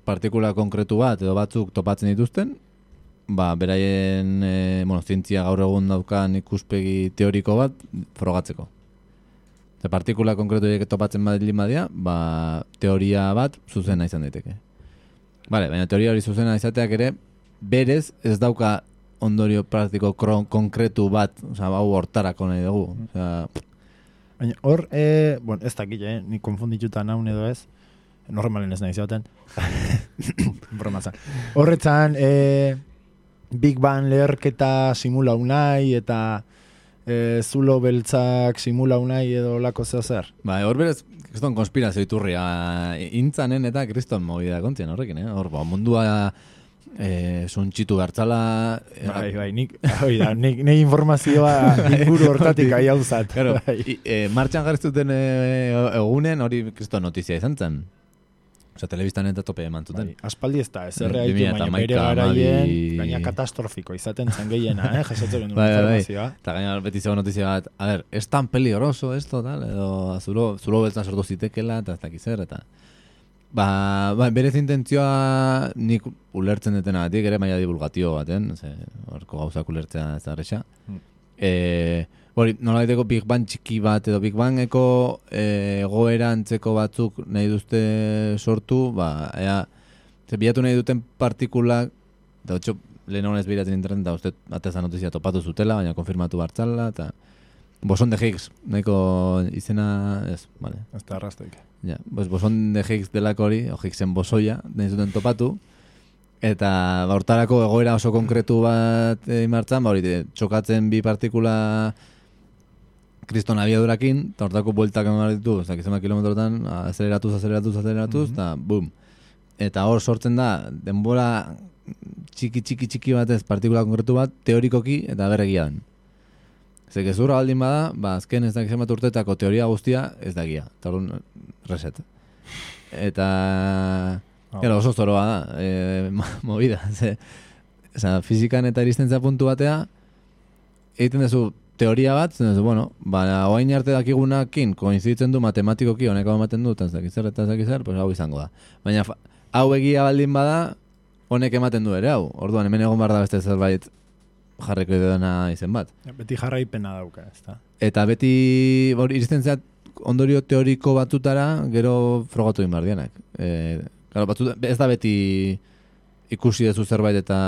partikula konkretu bat edo batzuk topatzen dituzten, beraien zientzia gaur egun daukan ikuspegi teoriko bat frogatzeko. Partikula konkretu topatzen badilin badia, teoria bat zuzena izan daiteke. Baina teoria hori zuzena izateak ere, berez ez dauka ondorio praktiko konkretu bat, hau hortarako nahi dugu. Baina hor, ez dakit, nik konfundituta naun edo ez, normalen ez nahi zauten. Bromazan. Horretzan, Big Bang leherketa simulau nahi, eta zulo beltzak simula unai edo lako zeo zer. Ba, hor berez, kriston konspirazio iturria, intzanen eta kriston movida kontzien horrekin, hor, mundua suntxitu bertzala... Bai, nik informazioa inguru hortatik ahi hauzat. Claro, martxan jarriztuten egunen hori kriston notizia izan zen. Osa, telebistan eta tope eman zuten. Aspaldi ez da, ez erreaitu, baina bere garaien, gaina katastrofiko izaten zen gehiena, jasotzen genuen informazioa. Eta gaina beti zegoen notizia bat, a ver, es tan peligroso esto, tal, edo zulo beltzan sortu zitekela, eta ez dakiz zer, eta... Ba, berez intentzioa nik ulertzen detenagatik, ere maila divulgatio baten, horko gauzak ulertzea ez da arrexa. Nola daiteko Big Bang txiki bat, edo Big Bangeko egoera antzeko batzuk nahi duzte sortu, bilatu nahi duten partikulak, eta otxo, lehen honez behiratzen internet, eta uste atezan notizia topatu zutela, baina konfirmatu bartzala, eta boson de Higgs, nahiko izena, ez, vale. Ez da arrastoik. Ja, boson de Higgs delako hori, o Higgsen bosoia, nahi zuten topatu, eta hortarako egoera oso konkretu bat imartzan, hori txokatzen bi partikula kriston abiadurakin, eta hortako bueltak emar ditu, ez dakizema kilometrotan, azeleratuz, eta bum. Eta hor sortzen da, denbora txiki batez partikula konkretu bat, teorikoki eta berregian. Zer, gezurra baldin bada, azken ez dakizema urtetako teoria guztia ez dakia. Eta hori reset. Eta... oso zoroa da, movida. Fizikan eta iristentzia puntu batea, egiten duzu teoria bat, zen duzu, oain arte dakigunakin koinziditzen du matematikoki, honeko ematen du, eta ez dakizzer, pues hau izango da. Baina hau egia baldin bada, honek ematen du ere, hau. Orduan, hemen egon behar da beste zerbait jarreko dena izen bat. Beti jarraipena dauka, ez da. Eta beti iristentzia ondorio teoriko batutara, gero frogatu egin behar dianak. Ez da beti ikusi dezu zerbait eta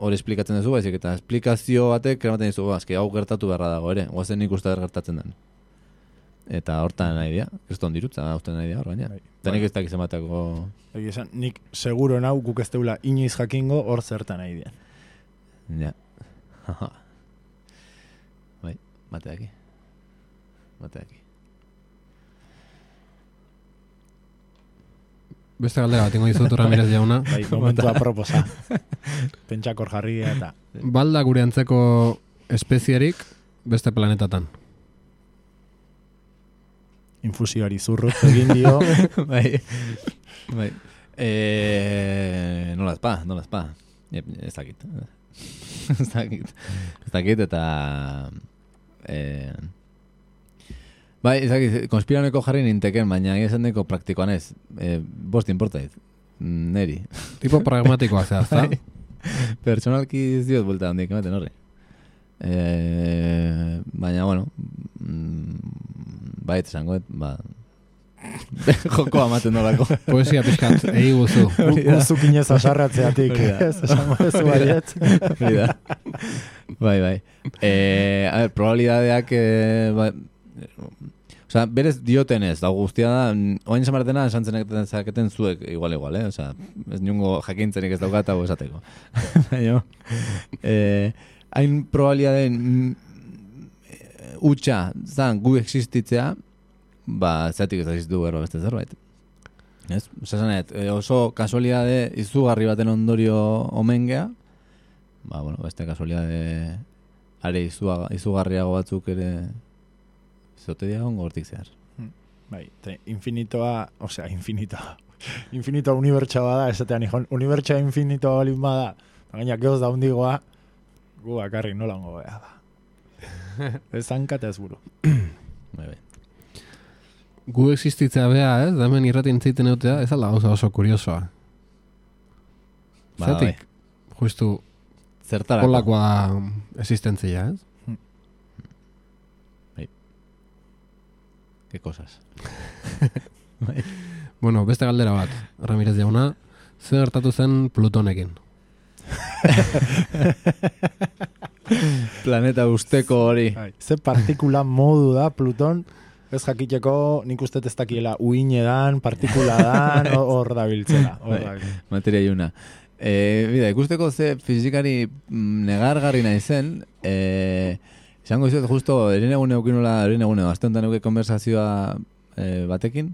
hori esplikatzen duzu, baizik eta esplikazio batek eramaten dizu, hau gertatu beharra dago ere, guazen ikuste gertatzen den. Eta hortan nahi dira, kriston dirutza, hortan nahi dira hor baina. Eta nik ez dakiz ematako... Nik seguro nau guk ez deula inoiz jakingo hor zertan nahi dira. Ja. Bai, bateaki. Beste galdera bat ingo dizutu Ramirez jauna. Bai, momentu aproposa. Pentsakor jarri eta... Balda gure antzeko espezierik beste planetatan. Infusioari zurrut egin dio. Bai. Nola ezpa. Ez dakit. Ez dakit eta... Bai, ez dakit, konspiraneko jarri ninteken, baina esan deko praktikoan ez. Bost importait. Neri. Tipo pragmatikoa zehaz, da? Personalki ez diot buelta handik ematen horri. Baina, bai, esangoet, joko amaten nolako. Poesia pixkat, egi guzu. Guzuk inez asarratzeatik. Ez esango ez baiet. Bai. A ver, probabilidadeak... Osa, berez diotenez, da guztia da, oain zamartena esan zaketen zuek igual, Osa, ez niongo jakintzenik ez daukat hau esateko. Hain probabilidaden utxa zan gu existitzea, zeatik ez existitu gero beste zerbait. Ez? Oso kasualidade izugarri baten ondorio omen gea, beste kasualidade are izugarriago batzuk ere zote diagon gortik zehar. Bai, infinitoa, infinitoa unibertsa bada, esatean ikon, unibertsa infinitoa balin bada, gaina geoz da hundigoa, gu bakarrik nola hongo beha da. Ez zankata ez buru. Bai. Gu existitzea beha, ez? Da hemen irratin zeiten eutea, ez alda gauza oso kuriosoa. Zatik, justu, polakoa da existentzia, ez? Qué cosas. Bueno, beste galdera bat, Ramirez jauna, zer gertatu zen Plutonekin? Planeta usteko hori. Ze partikula modu da Pluton, ez jakiteko nik uste ez dakiela uine dan, partikula dan, hor da biltzela. Materia iuna. Bida, ikusteko ze fizikari negargarri nahi zen, Izango izut, justo, erinegune azte honetan euke konversazioa batekin,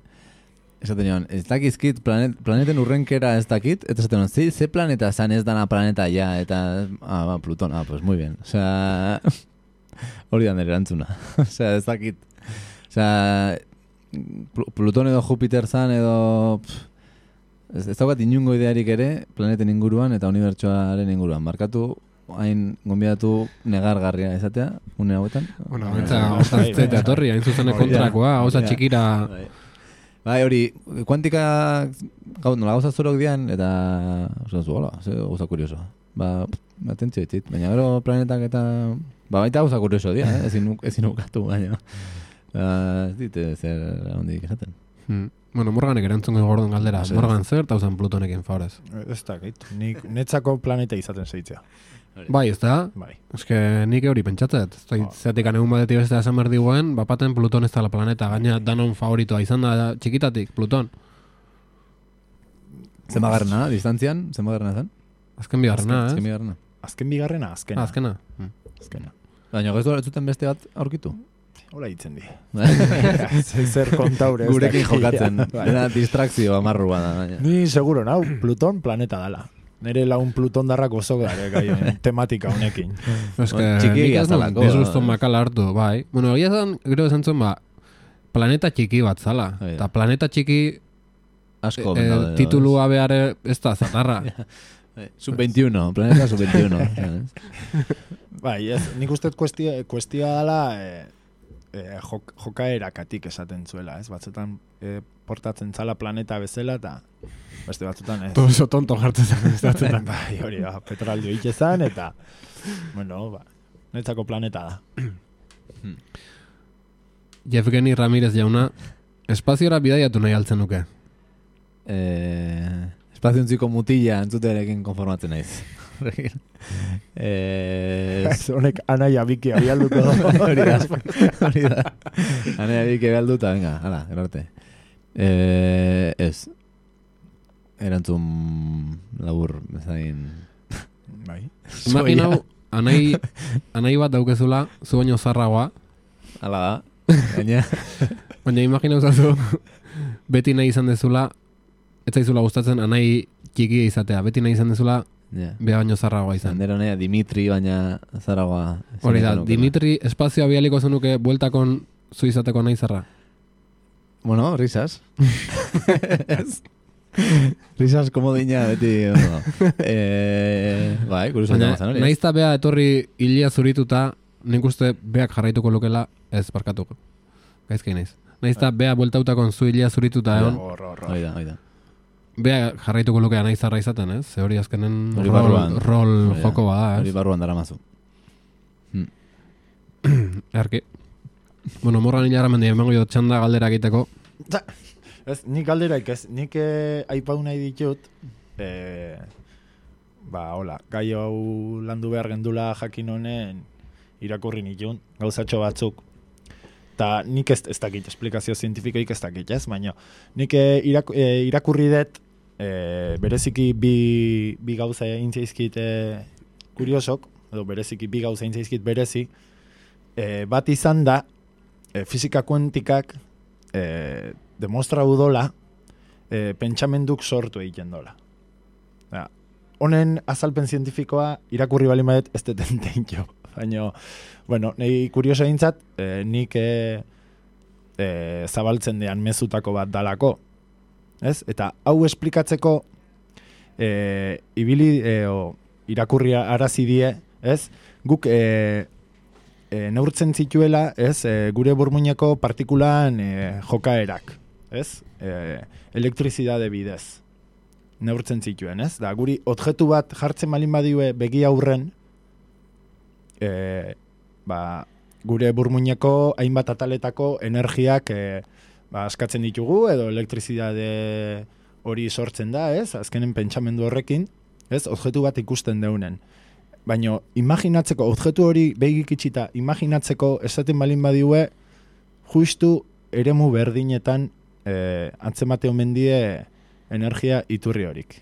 esaten joan, ez dakizkit, planeten urrenkera ez dakit, eta esaten joan, ze planeta zan ez dana planeta ja, eta, Pluton, pues muy bien, osea, hori da nire erantzuna, osea, ez dakit, osea, Pluton edo Jupiter zan edo, ez daukat inungo idearik ere, planeten inguruan eta unibertsoaren inguruan, markatu, hain gonbidatu negargarria esatea, une hauetan. Bueno, eta osaztea torri, hain zuzene kontrakoa, osa txikira... Bai, hori, kuantika gauza zorok dian, eta hola, gauza kurioso. Atentzio ditit, baina gero planetak eta... baita gauza kurioso dia, ezin ukatu, baina... ez dite zer hondik esaten. Bueno, Morganek erantzungo gordon galdera. Morgan zer, eta usan Plutonekin favorez. Ez dakit, nik netzako planeta izaten zeitzea. Bai, ez da? Bai. Ez que nik hori pentsatzet. Zeatik anegun batetik beste esan behar diguen, bapaten Pluton ez da la planeta. Gaina danon favoritoa izan da txikitatik, Pluton. Zenbagarrena, distantzian, zenbagarrena zen? Azken bigarrena, ez? Azken bigarrena, azkena. Azkena. Baina ez zuten beste bat aurkitu? Hola hitzen di. Zer kontaure. Gurekin jokatzen. Dena distrakzio amarrua da. Ni seguro, nau, Pluton planeta dala. Nere laun Pluton darrak oso gara, tematika honekin. Ez que nik ez duen disguston makala hartu, bai. Bueno, egia zan, gero esan zuen, planeta txiki bat zala. Eta planeta txiki asko titulua behar ez da zatarra. Sub-21, planeta sub-21. Bai, nik uste kuestia dala jokaerakatik esaten zuela, ez? Batzutan portatzen zala planeta bezala, eta beste batzutan ez. Todo tonto jartzen zen. Bai, hori, petrolio itxezan, eta bueno, netzako planeta da. Yevgeni Ramirez jauna, espaziora bidaiatu nahi altzen nuke. Espaziontziko mutila entzutearekin konformatzen naiz. Honek anaia biki abialduko da. Hori da. Anaia biki abialduta, venga, hala, erarte. Ez. Erantzun labur bezain... Bai. Imaginau, anai bat daukezula, zu baino zarragoa. Hala da. Baina imaginau zazu, beti nahi izan dezula, ez zaizula gustatzen anai txikia izatea. Beti nahi izan dezula, beha baino zarragoa izan. Zandero nahi, Dimitri baina zarragoa. Hori da, Dimitri espazioa bialiko zenuke bueltakon zu izateko nahi zarra. Bueno, risas. Risas komodina beti. Bai, kurioso da. Naizta beha etorri hilia zurituta, nik uste beak jarraituko lukela ez barkatuko. Gaizkei naiz. Naizta beha bueltautakon zu hilia zurituta egon. Hoi da. Bea jarraituko lukea nahi zarra izaten, ez? Ze hori azkenen rol joko bada, ez? Hori barruan dara mazu. Erki. Bueno, Morgan hilara mendia, emango jo txanda galdera egiteko. Ez, nik galderaik ez, nik aipau nahi ditut, hola, gai hau landu behar gendula jakin honen irakurri nitun, gauzatxo batzuk. Eta nik ez dakit, esplikazio zientifikoik ez dakit, ez? Baina nik irakurri dut, bereziki bi gauza intzaizkit kuriosok, edo bereziki bi gauza intzaizkit berezi, bat izan da, fizika kuantikak demostra udola, pentsamenduk sortu egiten dola. Honen azalpen zientifikoa irakurri bali madet ez detenten jo. Baina, bueno, nahi kurioso egintzat, nik zabaltzen dean mezutako bat dalako. Ez? Eta hau esplikatzeko irakurri arazidie, ez? Guk neurtzen zituela, ez? Gure burmuineko partikulan jokaerak, ez? Elektrizidade bidez. Neurtzen zituen, ez? Da, guri objektu bat jartzen balin badiue begi aurren, gure burmuineko hainbat ataletako energiak askatzen ditugu, edo elektrizidade hori sortzen da, ez? Azkenen pentsamendu horrekin, ez? Objektu bat ikusten deunen. Baina, imaginatzeko, objektu hori begik itxita, imaginatzeko esaten balin badiue, justu eremu berdinetan antzemate omen die energia iturri horik.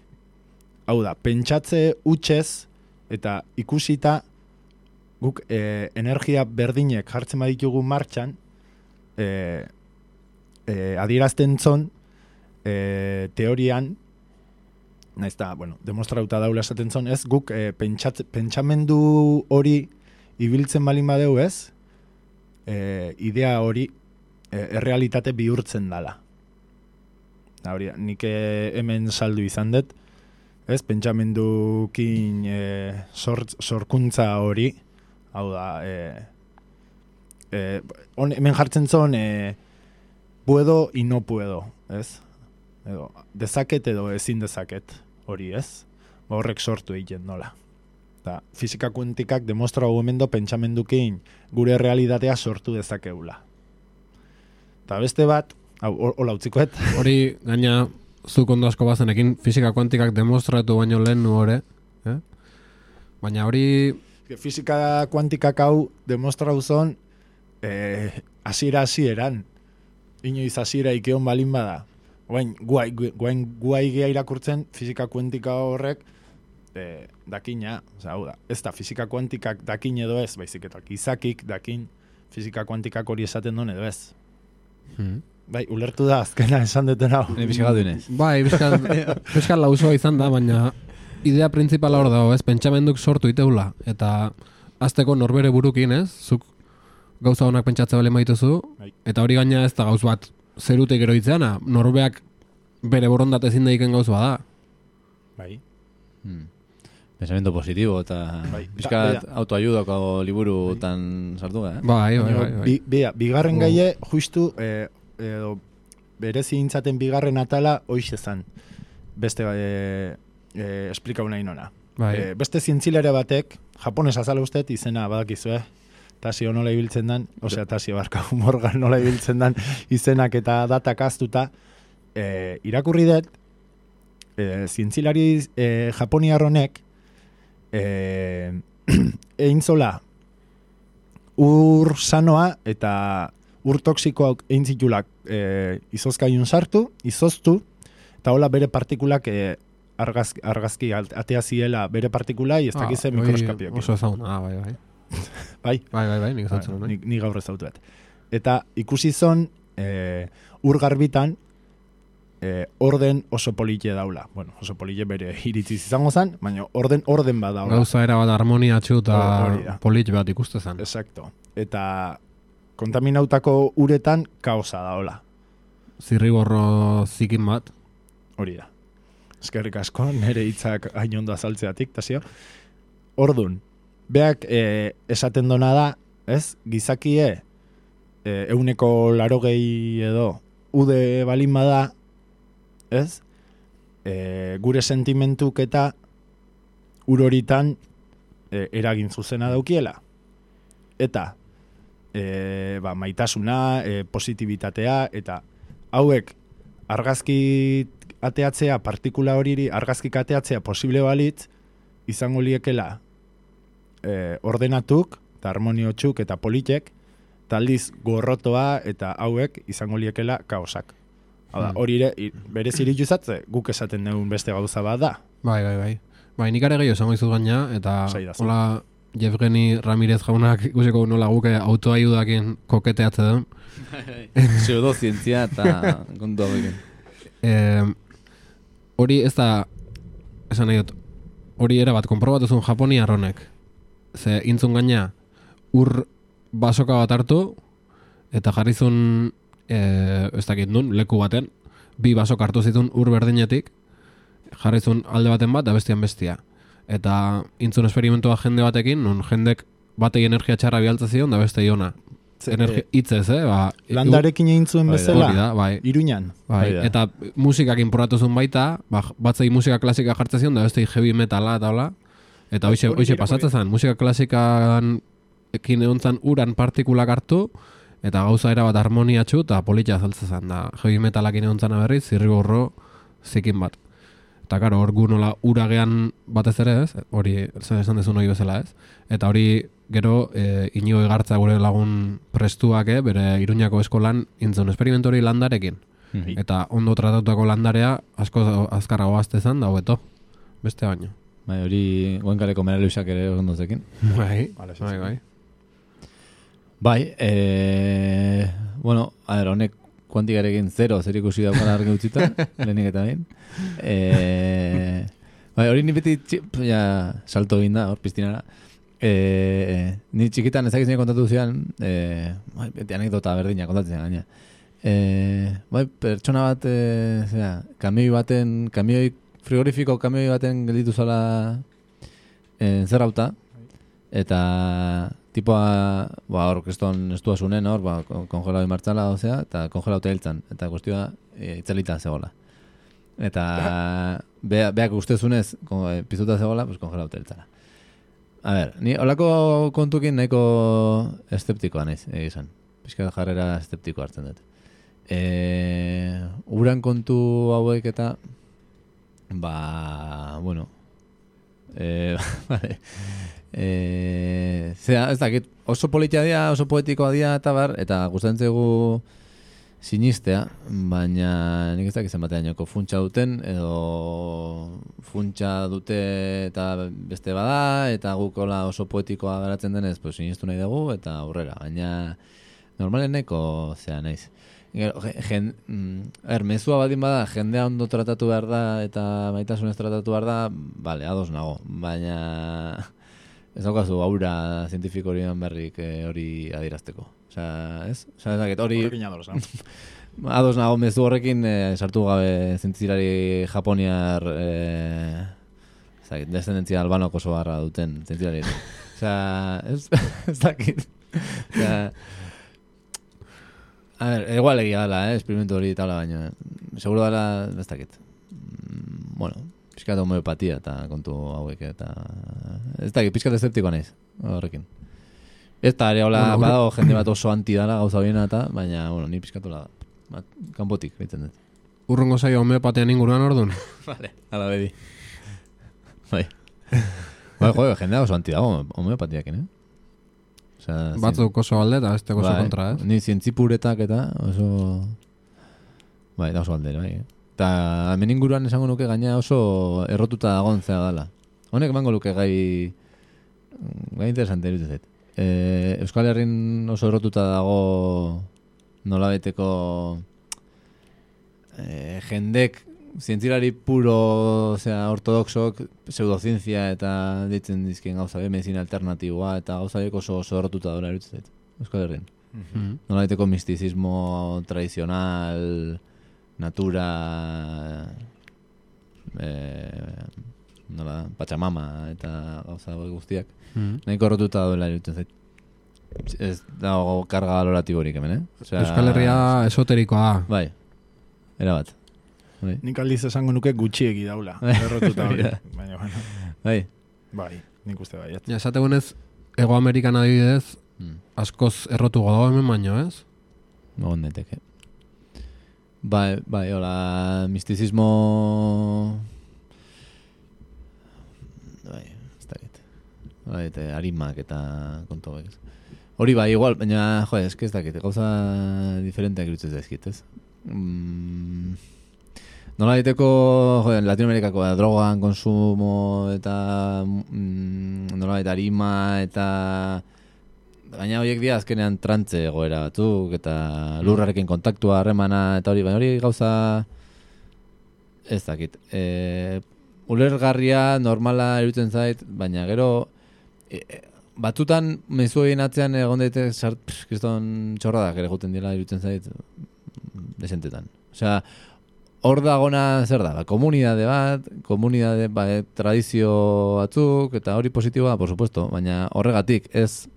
Hau da, pentsatze hutsez eta ikusita guk energia berdinek jartzen baditugu martxan, adierazten zon, teorian, naiz da, demostrauta daula esaten zon, ez, guk pentsamendu hori ibiltzen balin badeu, ez, idea hori errealitate bihurtzen dala. Hori, nik hemen saldu izan dut, ez, pentsamendukin sorkuntza hori, hau da, hemen jartzen zon, puedo y no puedo, ez? Edo, dezaket edo ezin dezaket, hori, ez? Horrek sortu egiten nola. Ta, fizika kuantikak demostra gomendo pentsamendukin gure realitatea sortu dezakeula. Ta beste bat, hola utzikoet. Hori, gaina, zuk ondo asko bazenekin, fizika kuantikak demostratu baino lehen nu hori, baina hori... Fizika kuantikak hau demostratu zon hasieran. Inoiz hasiera ikeon balin bada. Guai gea irakurtzen fizika kuantika horrek dakina, hau da, ez da fizika kuantikak dakin edo ez, baizik eta izakik dakin fizika kuantikak hori esaten duen edo ez. Bai, ulertu da azkena esan duten hau. Bizka duenez. Bai, bizka lausoa izan da, baina idea principala hor dago, ez, pentsamenduk sortu iteula, eta azteko norbere burukin, ez, zuk gauza honak pentsatze bale maituzu, eta hori gaina ez da gauz bat zerutek eroitzeana, norbeak bere borondate ezin daiken gauz bada. Bai. Pensamiento positibo, eta bizkat autoayudako liburu tan sartu gara, Bai. Bigarren gaie, justu, berezi intzaten bigarren atala hoiz ezan. Beste esplikau nahi nona. Beste zientzilere batek, japones azala ustet, izena badakizue, Tasio nola ibiltzen dan, Tasio barka Morgan nola ibiltzen dan izenak eta datak aztuta, irakurri dut, zientzilari japoniar honek, egin zola ur sanoa eta ur toksikoak egin zitulak izozkaiun sartu, izoztu, eta hola bere partikulak argazki atea ziela bere partikulai, ez dakize mikroskopioak. Oso ezaguna, bai. Bai, nik ezatzen. Ni gaur ezautu bat. Eta ikusi zon ur garbitan orden oso polite daula. Bueno, oso polite bere iritziz izango zen, baina orden bat daula. Gauza era bat harmoniatxu eta polite bat ikuste zen. Exacto. Eta kontaminautako uretan kaosa daula. Zirriborro zikin bat. Hori da. Eskerrik asko, nire hitzak hain ondo azaltzeatik, Tasio. Ordun, beak esaten dona da, ez? Gizakie 180 edo ude balin bada, ez? Gure sentimentuk eta uroritan eragin zuzena daukiela. Eta maitasuna, positibitatea, eta hauek argazki ateatzea, partikula horiri argazkik ateatzea posible balitz, izango liekela ordenatuk, eta harmoniotxuk eta politek, taldiz gorrotoa eta hauek izango liekela kaosak. Hau da, hori berez irituzatze, guk esaten dugun beste gauza bat da. Bai. Bai, nik are gehiago esango izut gaina, eta hola Jevgeni Ramirez jaunak ikusiko nola guke autoayudakin koketeatze duen. Pseudozientzia eta kontu hauekin. Hori ez da, esan nahi dut, hori erabat konprobatuzun Japoniar honek. Ze intzun gaina ur basoka bat hartu, eta jarrizun, ez dakit nun, leku baten, 2 basok hartu zitun ur berdinetik, jarrizun alde baten bat, da bestian bestia. Eta intzun esperimentua jende batekin, nun jendek batei energia txarra bialtza zion, da beste iona. Itzez, landarekin egin zuen bezala, bai. Iruñan. Bai. Eta musikak inportatu zuen baita, batzei musika klasika jartzen zion, da beste heavy metala eta hola. Eta hoxe pasatzen zen, musika klasikan ekin egon zen uran partikulak hartu, eta gauza era bat harmoniatxu eta politia azaltzen zen, da heavy metalakin egon zen berriz, zirriborro zikin bat. Eta karo, hor gu nola uragean batez ere ez, hori esan dezun hori bezala ez. Eta hori gero Inigo Igartza gure lagun prestuak bere Iruñako eskolan intzun esperimentori landarekin. Eta ondo tratatutako landarea asko azkarrago azte zen, da hobeto, beste baino. Bai, hori Goenkaleko Meraluxak ere ondozekin. Bai, Vale, sí, bai, sí. bai. Bai, bueno, a ver, honek kuantikarekin zer ikusi daukana argi utzita, lehenik eta bain. Bai, hori ni beti salto egin da, hor piztinara. Ni txikitan ezakiz nire kontatu zian, beti anekdota berdina kontatzen gaina. Bai, pertsona bat, frigorifiko kamioi baten gelditu zala zerrauta, eta tipoa, hor, kriston estua zunen, hor, kongelau imartzala, eta kongelau hiltzan, eta kustioa itzalita zegoela. Eta beak ustezunez, pizuta zegoela, pues kongelau hiltzala. A ver, ni holako kontukin nahiko eszeptikoa naiz, egizan. Pizka jarrera eszeptiko hartzen dut. Uran kontu hauek eta bueno, vale. Ez dakit, oso politia dia, oso poetikoa dia eta bar, eta gustatzen zaigu sinistea, baina nik ez dakit zenbatean joko funtsa duten, edo funtsa dute eta beste bada, eta gukola oso poetikoa garatzen denez, pues sinistu nahi dugu, eta aurrera, baina normaleneko naiz. Mezua badin bada, jendea ondo tratatu behar da eta maitasunez tratatu behar da, bale, ados nago, baina ez daukazu aura zientifiko horien berrik hori adirazteko. Ez dakit, hori ados nago mezu horrekin sartu gabe zientzilari japoniar descendentzia albanoko oso barra duten zientzilari. Ez dakit. A ver, igual egia dela, experimentu hori eta baina seguro dela, ez dakit. Bueno, pizkat homeopatia eta kontu hauek eta ez dakit, pizkat eszeptikoa naiz horrekin. Ez da ere hola badago jende bat oso anti dala gauza biena eta, baina, bueno, ni pizkatola kanpotik baitzen dut. Urrungo zaio homeopatian inguruan orduan? Vale, ala bedi. Bai, joder, jendea oso anti dago homeopatiakin, Batzuk oso alde eta beste oso kontra, ez? Ni zientzipuretak eta oso... Bai, da oso alde, bai. Eta hemen inguruan esango nuke gaina oso errotuta dagoen zea dala. Honek emango luke gai interesante iruditzen zait. Euskal Herrin oso errotuta dago nolabeteko jendek zientzilari puro, ortodoxok, pseudozientzia eta ditzen dizkien gauza medizina alternatiboa eta gauza oso errotuta dola iruditzen zait. Euskal Herrin. Nolabeteko mistizismo tradizional, natura, Pachamama eta gauza guztiak. Nahiko errotuta dola iruditzen zait. Ez dago karga valoratiborik hemen, Euskal Herria esoterikoa da. Bai, erabat. Nik aldiz esango nuke gutxiegi daula. Errotuta hori. Baina, bueno. Bai, nik uste bai. Ja, esategunez, Ego Amerikan adibidez, askoz errotu godago hemen baino, ez? Egon daiteke. Bai, hola, mistizismo... Bai, ez dakit. Bai, arimak eta kontu bai. Hori bai, igual, baina, ez dakit, gauza diferenteak irutzen zaizkit, ez? Nola diteko Latinoamerikako drogan konsumo eta nola eta arima eta gaina horiek dira azkenean trantze egoera batzuk eta lurrarekin kontaktua, harremana eta hori, baina hori gauza ez dakit. Ulergarria, normala irutzen zait, baina gero batzutan mezu egin atzean egon daite kriston txorradak ere guten dira irutzen zait desentetan. Osea, hor dagona zer da, komunidade bat, tradizio batzuk, eta hori positiboa, por supuesto, baina horregatik ez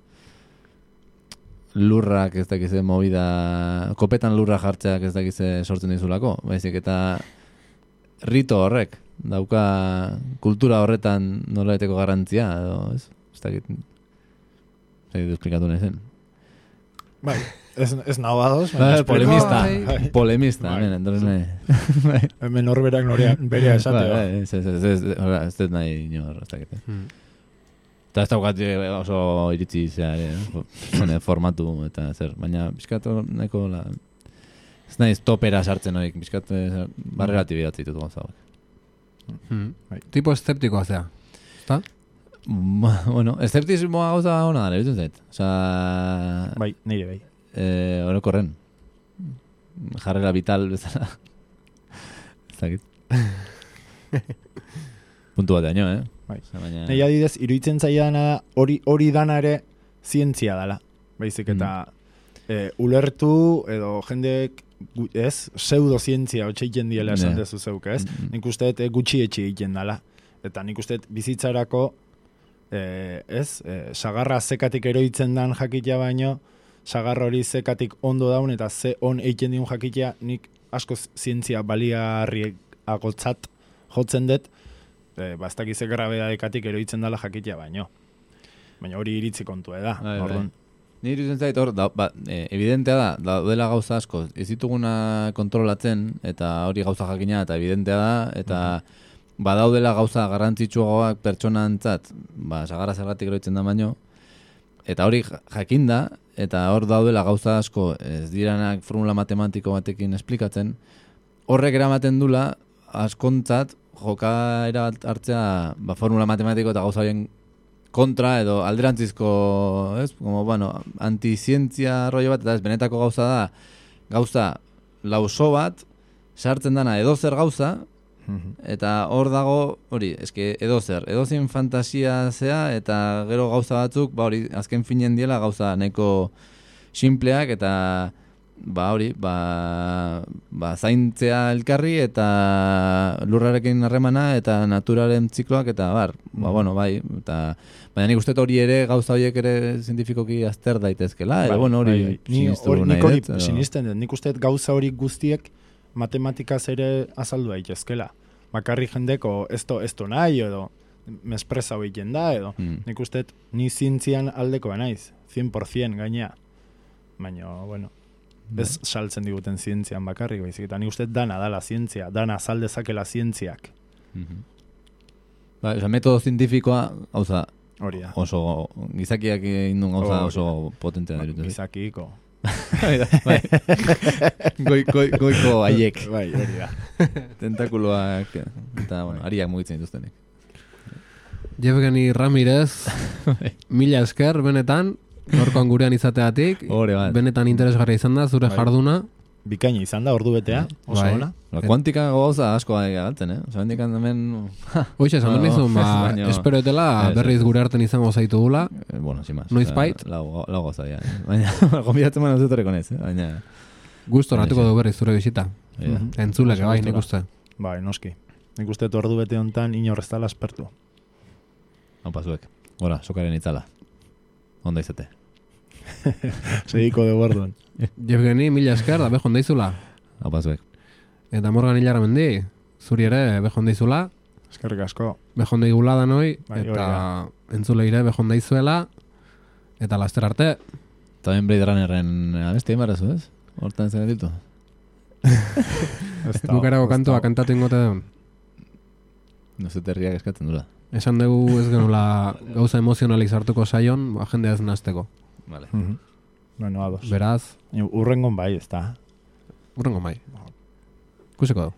lurrak ez dakize movida, kopetan lurra jartzeak ez dakize sortzen dizulako, baizik eta rito horrek, dauka kultura horretan nolaeteko garrantzia, edo ez dakit, esplikatu nahi zen. Bai. Ez nago ados. Polemista. Hemen horberak berea esatea. Ez dut nahi inor. Eta ez daukat oso iritzi formatu eta zer. Baina bizkatu nahiko ez nahi topera sartzen horiek. Bizkatu barreratibidatzen ditut gauza. Tipo eszeptikoa zea. ezta? Bueno, eszeptismoa gauza hona dara, bitzen zait. Osa, Bai, nire bai. orokorren. Jarrera vital bezala. Ezakit. Puntu bat daño, Bai. Osa, baina... Nei adidez, iruditzen zaidana da, hori dana ere zientzia dela. Baizik eta ulertu edo jendek pseudozientzia hotxeiken diela esan dezu zeuk, ez? Nik uste gutxi etxe egiten dela. Eta nik uste bizitzarako sagarra zekatik eroitzen dan jakitea baino, sagarra hori zekatik ondo daun eta ze on egiten diun jakitea, nik asko zientzia baliarriagotzat jotzen dut, bastak izek grabedadekatik eroitzen dela jakitea baino. Baina hori iritzi kontua da. Bai. Ni iruditzen zait hor, evidentea da, daudela gauza asko, ez dituguna kontrolatzen, eta hori gauza jakina, eta evidentea da, eta badaudela gauza garrantzitsuagoak pertsonantzat, sagarra zergatik eroitzen da baino, eta hori jakinda, eta hor daudela gauza asko ez diranak formula matematiko batekin esplikatzen, horrek eramaten dula askontzat jokaera hartzea formula matematiko eta gauza horien kontra edo alderantzizko, ez? Como, bueno, antizientzia rollo bat, eta ez benetako gauza da, gauza lauso bat, sartzen dana edozer gauza, eta hor dago, hori, eske edozein fantasia zea, eta gero gauza batzuk, hori, azken finen diela gauza nahiko simpleak, eta zaintzea elkarri eta lurrarekin harremana eta naturaren zikloak eta bueno, eta baina nik uste hori ere gauza horiek ere zientifikoki azter daitezkela, edo bueno, hori sinistu nahi nik hori sinisten dut, nik uste gauza hori guztiek matematikaz ere azaldu daitezkela. Bakarri jendeko esto nahi edo mespresa egiten da edo nik uste ni zientzian aldeko naiz, 100% gainea. Baina, bueno, ez saltzen diguten zientzian bakarrik, baizik, eta ni uste dana dala zientzia, dana azaldezakela zientziak. Metodo zientifikoa, gauza, hori da. Oso, gizakiak indun gauza oso potentea dut. Gizakiko. Goiko haiek. Bai, hori da. Tentakuloak, eta, bueno, ariak mugitzen dituztenek. Jevgeni Ramirez, mila esker, benetan, gorkoan gurean izateatik, benetan interesgarria izan da, zure jarduna. Bikaina izan da, ordu betea, oso ona. Kuantika gauza asko galtzen, Osa, bendikan hemen... Hoxe, esan behar nizun, espero etela berriz gure arten izango zaitu gula. Bueno, sin más. Noiz bait? Lau gauza, ya. Baina, gombidatzen man azutoreko nez, baina... Gusto natuko du berriz zure bisita. Entzuleke, bai, nik uste. Bai, noski. Nik uste ordu bete hontan inorreztala aspertu. Haupa zuek. Gora, sokaren itzala. Onda izate. Segiko de bordon. Jevgeni, mila esker, da behon daizula. Haupa zuek. Eta Morgan hilarra mendi, zuri ere behon daizula. Eskerrik asko. Behon daigula da noi, eta entzuleire behon daizuela. Eta laster arte. Eta ben Blade Runnerren abesti embarazu, ez? Hortan zen ditu. Bukarako kantua kantatu ingote deun. Nozeterriak eskatzen dula. Esan dugu ez genula gauza emozionalik sartuko saion, jendea ez nazteko. Vale. Bueno, ados. Beraz. Urrengon bai, ez da. Urrengon bai. Kuseko du.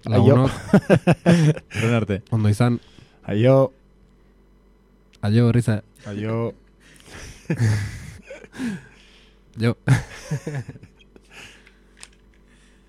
Lagunok. Horren arte. Ondo izan. Aio. Aio, Rize. Aio. Jo.